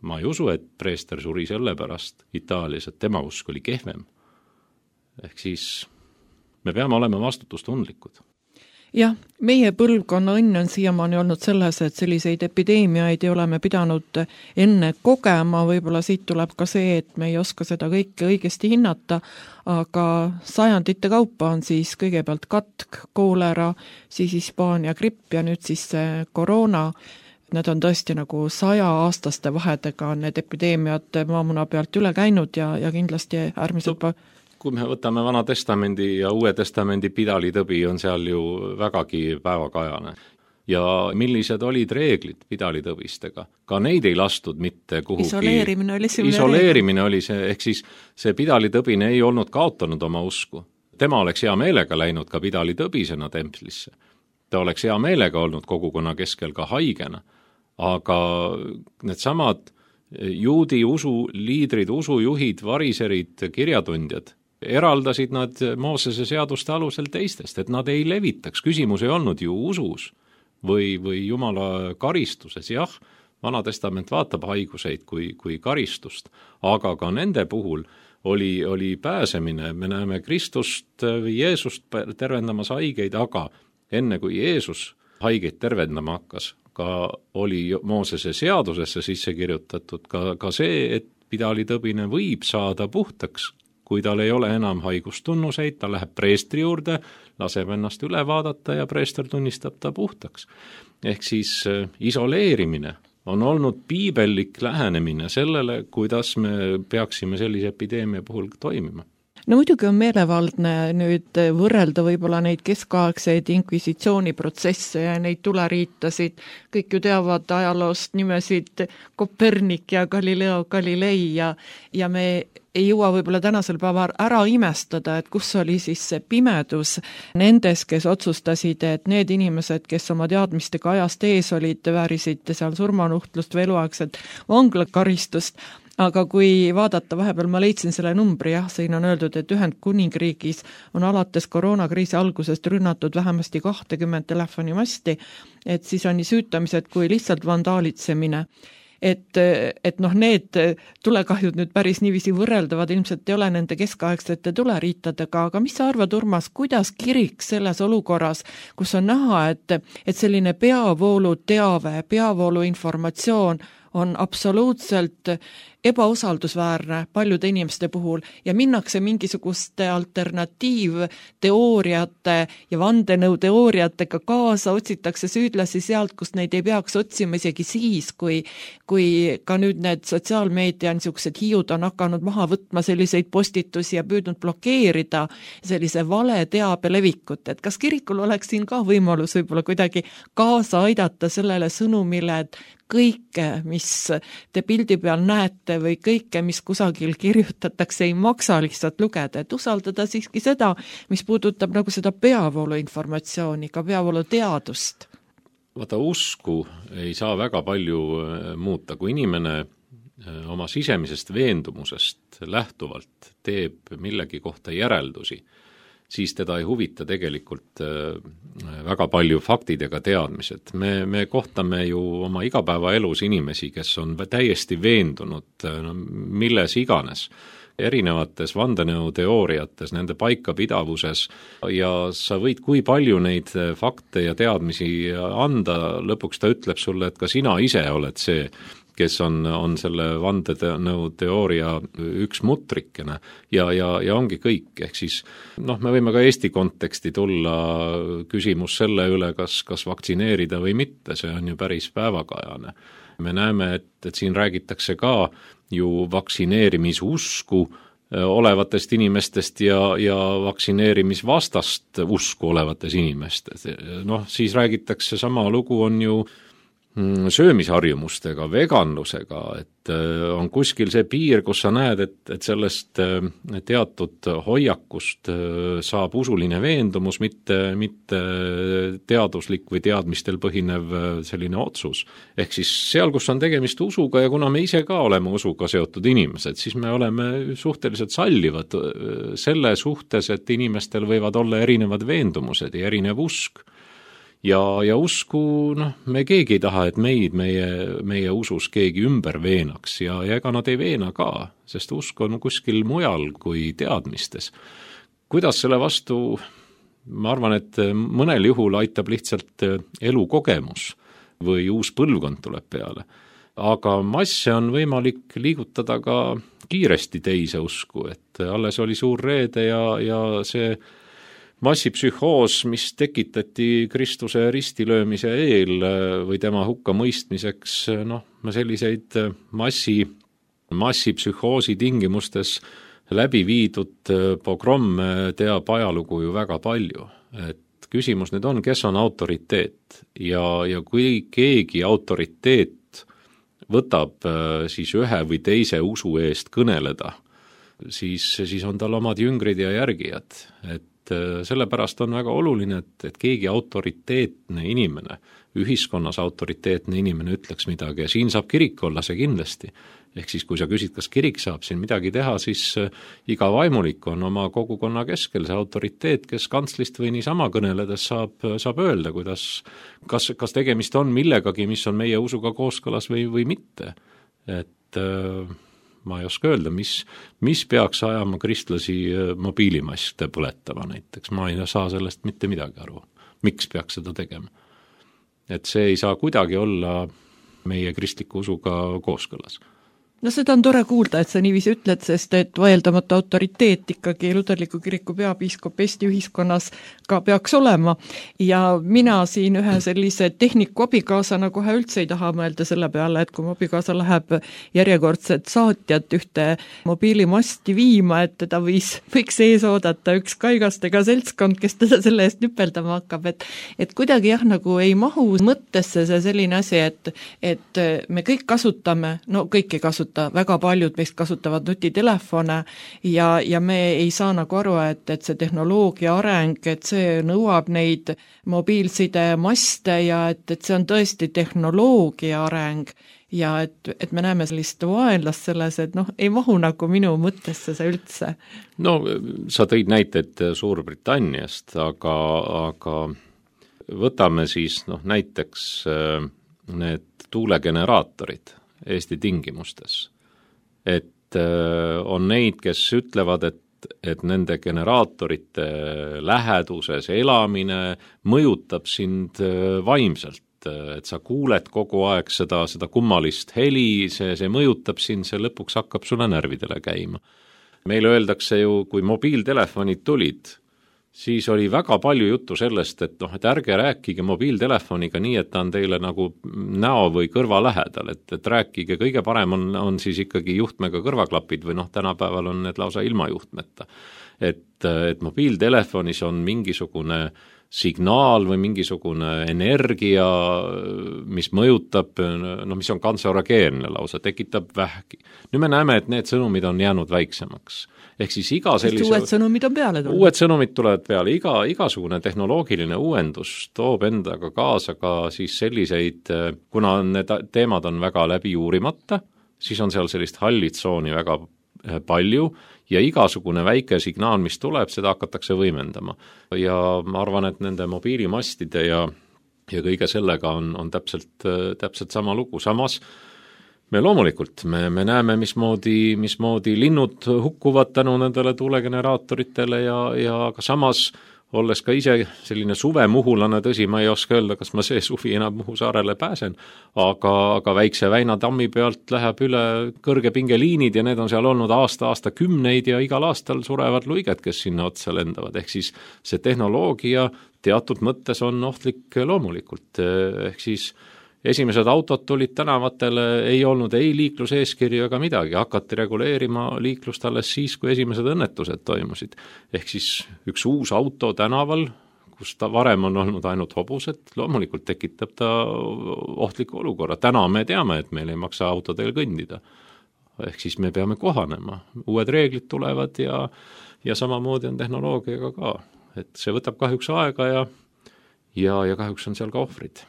ma ei usu, et preester suri selle pärast Itaalias, et tema usk oli kehvem. Ehk siis me peame olema vastutustundlikud. Jah, meie põlvkonna õnn on siiamaani olnud selles, et selliseid epideemiaid ei ole me pidanud enne kogema, võib-olla siit tuleb ka see, et me ei oska seda kõike õigesti hinnata, aga sajandite kaupa on siis kõigepealt katk, koolera, siis Hispaania gripp ja nüüd siis koroona. Need on tõesti nagu saja aastaste vahedega need epideemiad maamuna pealt üle käinud ja, ja kindlasti äärmiselt pa- kui me võtame Vana Testamendi ja Uue Testamendi pidalitõbi, on seal ju vägagi päevakajane. Ja millised olid reeglid pidalitõbistega? Ka neid ei lastud mitte kuhugi. Isoleerimine oli see. Isoleerimine oli see, ehk siis see pidalitõbine ei olnud kaotanud oma usku. Tema oleks hea meelega läinud ka pidalitõbisena templisse. Ta oleks hea meelega olnud kogukonna keskel ka haigena. Aga need samad juudi usu liidrid, usujuhid, variserid, kirjatundjad eraldasid nad Moosese seaduste alusel teistest, et nad ei levitaks. Küsimus ei olnud ju usus või, või Jumala karistuses. Jah, Vana Testament vaatab haiguseid kui, kui karistust, aga ka nende puhul oli, oli pääsemine. Me näeme Kristust või Jeesust tervendamas haigeid, aga enne kui Jeesus haigeid tervendama hakkas, ka oli Moosese seadusesse sisse kirjutatud ka, ka see, et pidalitõbine võib saada puhtaks, kui tal ei ole enam haigustunnuseid, ta läheb preestri juurde, laseb ennast üle vaadata ja preester tunnistab ta puhtaks. Ehk siis isoleerimine on olnud piibellik lähenemine sellele, kuidas me peaksime sellise epideemia puhul toimima. No muidugi on meelevaldne nüüd võrrelda võib-olla neid keskaegseid inkvisitsiooniprotsesse ja neid tuleriitasid. Kõik ju teavad ajaloost nimesid Kopernik ja Galileo Galilei ja, ja me ei jõua võib-olla tänasel päeval ära imestada, et kus oli siis see pimedus nendes, kes otsustasid, et need inimesed, kes oma teadmistega ajast ees olid, väärisid seal surmanuhtlust või eluaegset vanglakaristust. Aga kui vaadata, vahepeal ma leidsin selle numbri, jah, siin on öeldud, et Ühendkuningriigis on alates koroonakriisi algusest rünnatud vähemasti kakskümmend telefonimasti, et siis on nii süütamised kui lihtsalt vandaalitsemine. Et, et noh, need tulekahjud nüüd päris niiviisi võrreldavad, ilmselt ei ole nende keskaegsete tuleriitadega, aga mis sa arvad, Urmas, kuidas kirik selles olukorras, kus on näha, et, et selline peavoolu teave, peavoolu informatsioon on absoluutselt ebausaldusväärne paljude inimeste puhul ja minnakse mingisuguste alternatiivteooriate ja vandenõuteooriatega kaasa, otsitakse süüdlasi sealt, kus neid ei peaks otsima isegi siis, kui, kui ka nüüd need sotsiaalmeedia niisugused hiiud on hakanud maha võtma selliseid postitusi ja püüdnud blokeerida sellise vale teabe levikut, et kas kirikul oleks siin ka võimalus võib-olla kuidagi kaasa aidata sellele sõnumile, et kõike, mis te pildi peal näete või kõike, mis kusagil kirjutatakse, ei maksa lihtsalt lugeda, et usaldada siiski seda, mis puudutab nagu seda peavoolu informatsiooni, ka peavoolu teadust. Vaata, usku ei saa väga palju muuta, kui inimene oma sisemisest veendumusest lähtuvalt teeb millegi kohta järeldusi, siis teda ei huvita tegelikult väga palju faktid ega teadmised. Me, me kohtame ju oma igapäevaelus inimesi, kes on täiesti veendunud no, milles iganes, erinevates vandenõuteooriates, nende paikapidavuses ja sa võid kui palju neid fakte ja teadmisi anda, lõpuks ta ütleb sulle, et ka sina ise oled see, kes on, on selle vandenõuteooria üks mutrikene ja, ja, ja ongi kõik, ehk siis noh, me võime ka Eesti konteksti tulla küsimus selle üle, kas, kas vaktsineerida või mitte, see on ju päris päevakajane. Me näeme, et, et siin räägitakse ka ju vaktsineerimisusku olevatest inimestest ja, ja vaktsineerimisvastast usku olevates inimestes. Noh, siis räägitakse, sama lugu on ju söömisharjumustega, veganlusega, et on kuskil see piir, kus sa näed, et, et sellest teatud hoiakust saab usuline veendumus, mitte, mitte teaduslik või teadmistel põhinev selline otsus. Ehk siis seal, kus on tegemist usuga ja kuna me ise ka oleme usuga seotud inimesed, siis me oleme suhteliselt sallivad selle suhtes, et inimestel võivad olla erinevad veendumused ja erinev usk. Ja, ja usku, noh, me keegi ei taha, et meid, meie, meie usus keegi ümber veenaks ja, ja ega nad ei veena ka, sest usk on kuskil mujal kui teadmistes. Kuidas selle vastu, ma arvan, et mõnel juhul aitab lihtsalt elukogemus või uus põlvkond tuleb peale. Aga masse on võimalik liigutada ka kiiresti teise usku, et alles oli suur reede ja, ja see massipsühhoos, mis tekitati Kristuse ristilöömise eel või tema hukka mõistmiseks, noh, selliseid massi, massipsühhoosi tingimustes läbi viidud pogromme teab ajalugu ju väga palju. Et küsimus nüüd on, kes on autoriteet ja, ja kui keegi autoriteet võtab siis ühe või teise usu eest kõneleda, siis, siis on tal omad jüngrid ja järgijad, et sellepärast on väga oluline, et, et keegi autoriteetne inimene, ühiskonnas autoriteetne inimene ütleks midagi ja siin saab kirik olla see kindlasti. Ehk siis, kui sa küsid, kas kirik saab siin midagi teha, siis iga vaimulik on oma kogukonna keskel see autoriteet, kes kantslist või niisama kõneledes saab, saab öelda, kuidas, kas, kas tegemist on millegagi, mis on meie usuga kooskõlas või, või mitte. Et ma ei oska öelda, mis, mis peaks ajama kristlasi mobiilimaste põletama näiteks. Ma ei saa sellest mitte midagi aru. Miks peaks seda tegema? Et see ei saa kuidagi olla meie kristliku usuga kooskõlas. No seda on tore kuulda, et sa niiviisi ütled, sest et vaieldamata autoriteet ikkagi luterliku kiriku peapiiskop Eesti ühiskonnas ka peaks olema. Ja mina siin ühe sellise tehniku abikaasana kohe üldse ei taha mõelda selle peale, et kui mu abikaasa läheb järjekordset saatjat ühte mobiilimasti viima, et teda võis, võiks ees oodata üks kaigastega seltskond, kes teda selle eest nüpeldama hakkab. Et, et kuidagi jah, nagu ei mahu mõttesse see selline asi, et, et me kõik kasutame, no kõik ei kasuta, väga paljud meist kasutavad nutitelefone ja, ja me ei saa nagu aru, et, et see tehnoloogia areng, et see nõuab neid mobiilside maste ja et, et see on tõesti tehnoloogia areng ja et, et me näeme sellist vaenlast selles, et noh, ei mahu nagu minu mõttesse see üldse. No sa tõid näited Suurbritanniast, aga, aga võtame siis noh, näiteks need tuulegeneraatorid Eesti tingimustes. Et on neid, kes ütlevad, et, et nende generaatorite läheduses elamine mõjutab sind vaimselt, et sa kuuled kogu aeg seda, seda kummalist heli, see, see mõjutab sind, see lõpuks hakkab sulle närvidele käima. Meile öeldakse ju, kui mobiiltelefonid tulid, siis oli väga palju juttu sellest, et noh, et ärge rääkige mobiiltelefoniga nii, et ta on teile nagu näo või kõrva lähedal, et, et rääkige, kõige parem on, on siis ikkagi juhtmega kõrvaklapid või noh, tänapäeval on need lausa ilma juhtmeta. Et, et mobiiltelefonis on mingisugune signaal või mingisugune energia, mis mõjutab, no mis on kantserogeenne lausa, tekitab vähki. Nüüd me näeme, et need sõnumid on jäänud väiksemaks. Ehk siis iga sellise... Uued sõnumid on peale tulnud. Uued sõnumid tulevad peale, iga, igasugune tehnoloogiline uuendus toob endaga kaasa ka siis selliseid, kuna need teemad on väga läbi uurimata, siis on seal sellist hallitsooni väga palju ja igasugune väike signaal, mis tuleb, seda hakatakse võimendama. Ja ma arvan, et nende mobiilimastide ja, ja kõige sellega on, on täpselt, täpselt sama lugu. Samas me loomulikult, me, me näeme, mismoodi, mismoodi linnud hukkuvad tänu nendele tuulegeneraatoritele ja, ja ka samas olles ka ise selline suvemuhulane, tõsi, ma ei oska öelda, kas ma see suvi enam Muhu saarele pääsen, aga, aga väikse Väina tammi pealt läheb üle kõrgepingeliinid ja need on seal olnud aasta, aasta kümneid ja igal aastal surevad luiged, kes sinna otsa lendavad. Ehk siis see tehnoloogia teatud mõttes on ohtlik loomulikult. Ehk siis esimesed autod tulid tänavatele, ei olnud ei liikluseeskirju ega midagi, hakati reguleerima liiklust alles siis, kui esimesed õnnetused toimusid. Ehk siis üks uus auto tänaval, kus ta varem on olnud ainult hobused, loomulikult tekitab ta ohtliku olukorra. Täna me teame, et meil ei maksa autodel kõndida. Ehk siis me peame kohanema. Uued reeglid tulevad ja, ja samamoodi on tehnoloogiaga ka. Et see võtab kahjuks aega ja, ja, ja kahjuks on seal ka ohvrid.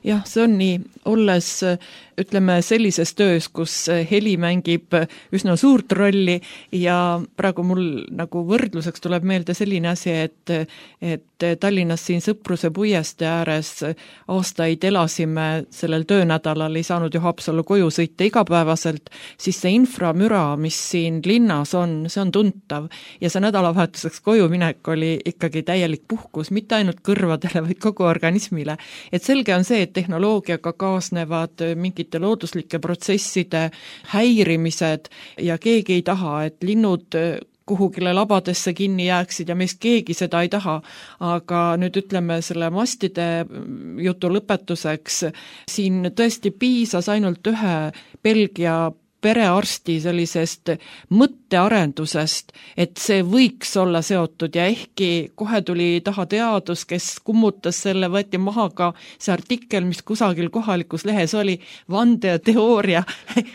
Jah, see on nii, olles ütleme sellises töös, kus heli mängib üsna suurt rolli ja praegu mul nagu võrdluseks tuleb meelde selline asi, et, et Tallinnas siin Sõpruse puieste ääres aastaid elasime sellel töönädalal, ei saanud ju Haapsallu koju sõita igapäevaselt, siis see inframüra, mis siin linnas on, see on tuntav ja see nädalavahetuseks koju minek oli ikkagi täielik puhkus, mitte ainult kõrvadele, vaid kogu organismile. Et selge on see, et tehnoloogiaga kaasnevad mingite looduslike protsesside häirimised ja keegi ei taha, et linnud kuhugile labadesse kinni jääksid ja meist keegi seda ei taha, aga nüüd ütleme selle mastide jutu lõpetuseks, siin tõesti piisas ainult ühe Belgia perearsti sellisest mõttearendusest, et see võiks olla seotud ja ehkki kohe tuli taha teadus, kes kummutas selle, võeti maha ka see artikkel, mis kusagil kohalikus lehes oli, vande ja teooria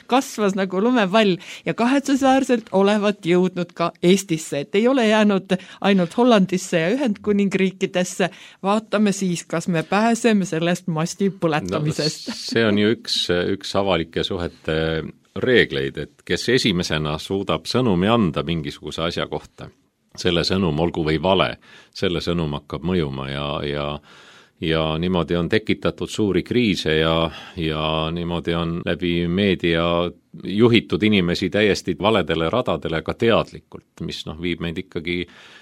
kasvas nagu lumepall ja kahetsusväärselt olevat jõudnud ka Eestisse, et ei ole jäänud ainult Hollandisse ja Ühendkuningriikidesse, vaatame siis, kas me pääseme sellest masti põletamisest. No, see on ju üks, üks avalike suhete reegleid, et kes esimesena suudab sõnumi anda mingisuguse asja kohta, selle sõnum olgu või vale, selle sõnum hakkab mõjuma ja, ja, ja niimoodi on tekitatud suuri kriise ja, ja niimoodi on läbi meedia juhitud inimesi täiesti valedele radadele ka teadlikult, mis noh, viib meid ikkagi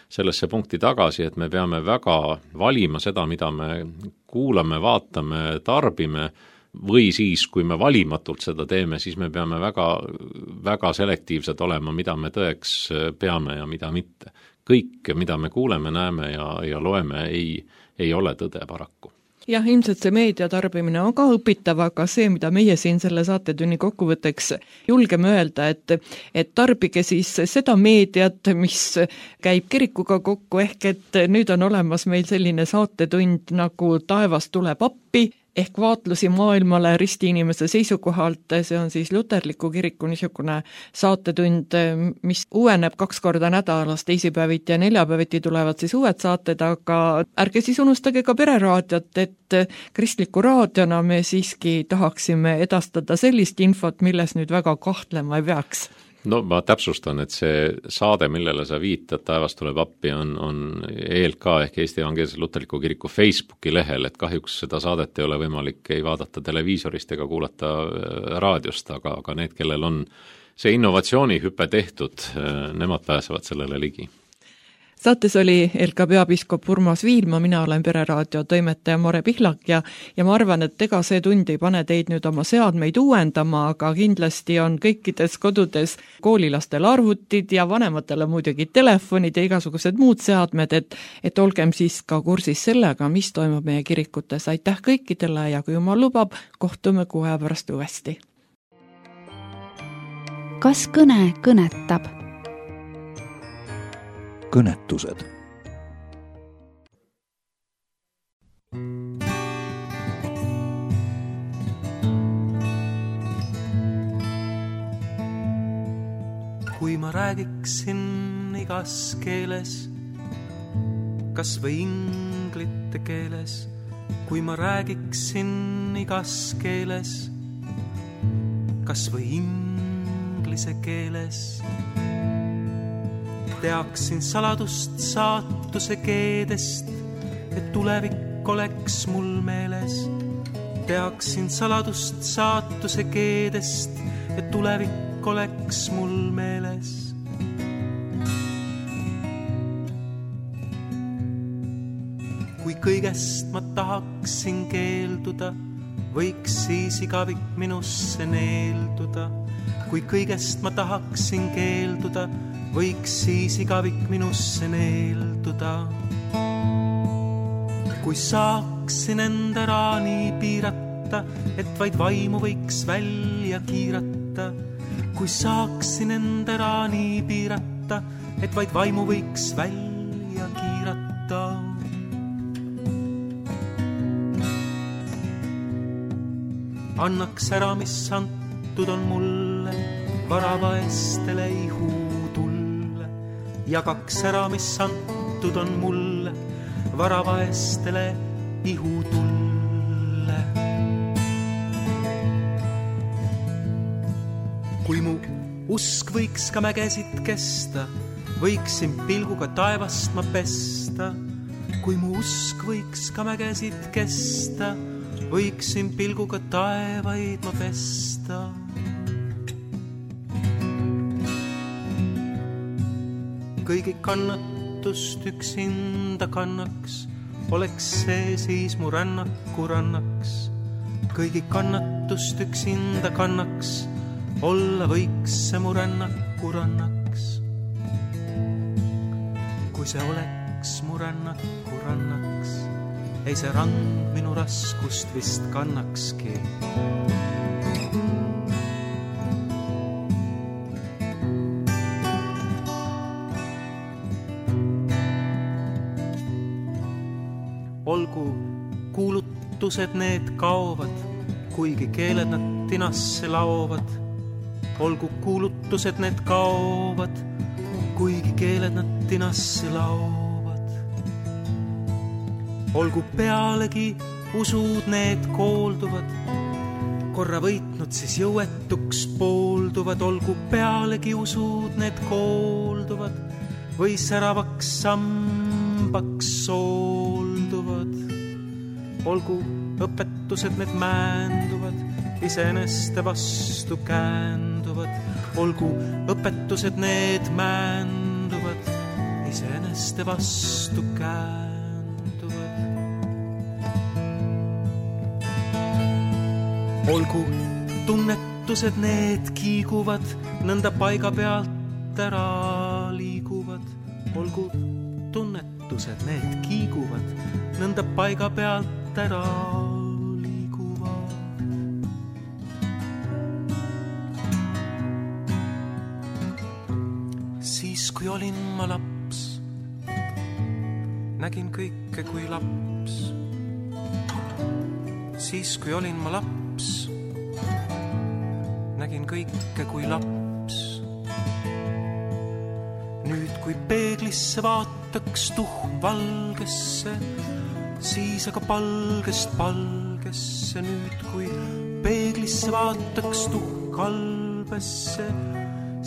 sellesse punkti tagasi, et me peame väga valima seda, mida me kuulame, vaatame, tarbime, või siis, kui me valimatult seda teeme, siis me peame väga, väga selektiivsed olema, mida me tõeks peame ja mida mitte. Kõik, mida me kuuleme, näeme ja, ja loeme, ei, ei ole tõde paraku. Jah, ilmselt see meedia tarbimine on ka õpitav, aga see, mida meie siin selle saatetunni kokkuvõtteks julgeme öelda, et, et tarbige siis seda meediat, mis käib kirikuga kokku, ehk et nüüd on olemas meil selline saatetund nagu Taevas tuleb appi, ehk vaatlusi maailmale risti inimese seisukohalt, see on siis Luterliku kiriku niisugune saatetund, mis uueneb kaks korda nädalas, teisipäeviti ja neljapäeviti tulevad siis uued saated, aga ärge siis unustage ka Pereraadiot, et kristliku raadiona me siiski tahaksime edastada sellist infot, milles nüüd väga kahtlema ei peaks. No ma täpsustan, et see saade, millele sa viitad, Taevas tuleb appi, on, on E L K ehk Eesti Evangeelse Luterliku kiriku Facebooki lehel, et kahjuks seda saadet ei ole võimalik ei vaadata televiisorist ega kuulata raadiost, aga, aga need, kellel on see innovatsioonihüpe tehtud, nemad pääsevad sellele ligi. Saates oli E L K peapiiskop Urmas Viilma, mina olen Pereraadio toimetaja Mare Pihlak ja, ja ma arvan, et ega see tund ei pane teid nüüd oma seadmeid uuendama, aga kindlasti on kõikides kodudes koolilastel arvutid ja vanematele muidugi telefonid ja igasugused muud seadmed, et, et olgem siis ka kursis sellega, mis toimub meie kirikutes. Aitäh kõikidele ja kui jumal lubab, kohtume kuu aja pärast uuesti. Kas kõne kõnetab? Kõnetused. Kui ma räägiksin igas keeles, kas või inglite keeles, kui ma räägiksin igas keeles, kas või inglise keeles, teaksin saladust saatuse keedest, et tulevik oleks mul meeles. teaksin saladust saatuse keedest, et tulevik oleks mul meeles. Kui kõigest ma tahaksin keelduda, võiks siis igavik minusse neelduda. Kui kõigest ma tahaksin keelduda, võiks siis igavik minusse neelduda. Kui saaksin enda raani piirata, et vaid vaimu võiks välja kiirata. Kui saaksin enda raani piirata, et vaid vaimu võiks välja kiirata. Annaks ära, mis antud on mulle, varavaestele ihutulle. Jagaks ära, mis antud on mulle, varavaestele ihutulle. Kui mu usk võiks ka mägesid kesta, võiksin pilguga taevast ma pesta. Kui mu usk võiks ka mägesid kesta, võiksin pilguga taevaid ma pesta. Kõigi kannatust üksinda kannaks, oleks see siis mu rännaku rannaks. Kõigi kannatust üksinda kannaks, olla võiks see mu rännaku rannaks. Kui see oleks mu rännaku rannaks, ei see rand minu raskust vist kannakski. Olgu kuulutused need kaovad, kuigi keeled nad tinasse laovad. Olgu kuulutused need kaovad, kuigi keeled nad tinasse laovad. Olgu pealegi usud need koolduvad, korra võitnud siis jõuetuks poolduvad. Olgu pealegi usud need koolduvad, või säravaks sambaks soolduvad. Olgu õpetused need määnduvad, iseeneste vastu käänduvad. Olgu õpetused need määnduvad, iseeneste vastu käänduvad. Olgu tunnetused need kiiguvad, nõnda paiga pealt ära liiguvad. Olgu tunnetused need kiiguvad, nõnda paiga pealt ära liiguvad. Siis kui olin ma laps, nägin kõike kui laps. Siis kui olin ma laps, nägin kõike kui laps. Nüüd kui peeglisse vaataks tuhm valgesse, siis aga palgest palgesse. Nüüd kui peeglisse vaataks tuhm kalbesse,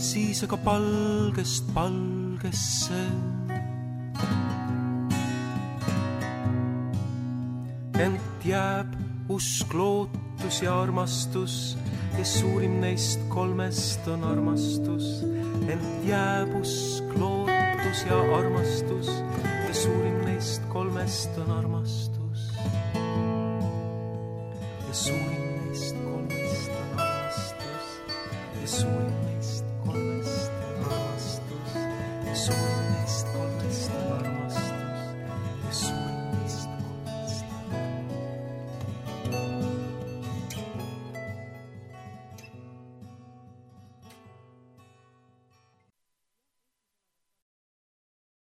siis aga palgest palgesse. Ent jääb usk, lootus ja armastus, ja suurim neist kolmest on armastus. Ent jääb usk, lootus ja armastus, ja suurim neist kolmest on armastus. Ja suurim neist kolmest on armastus, ja suurim neist kolmest on armastus, ja suurim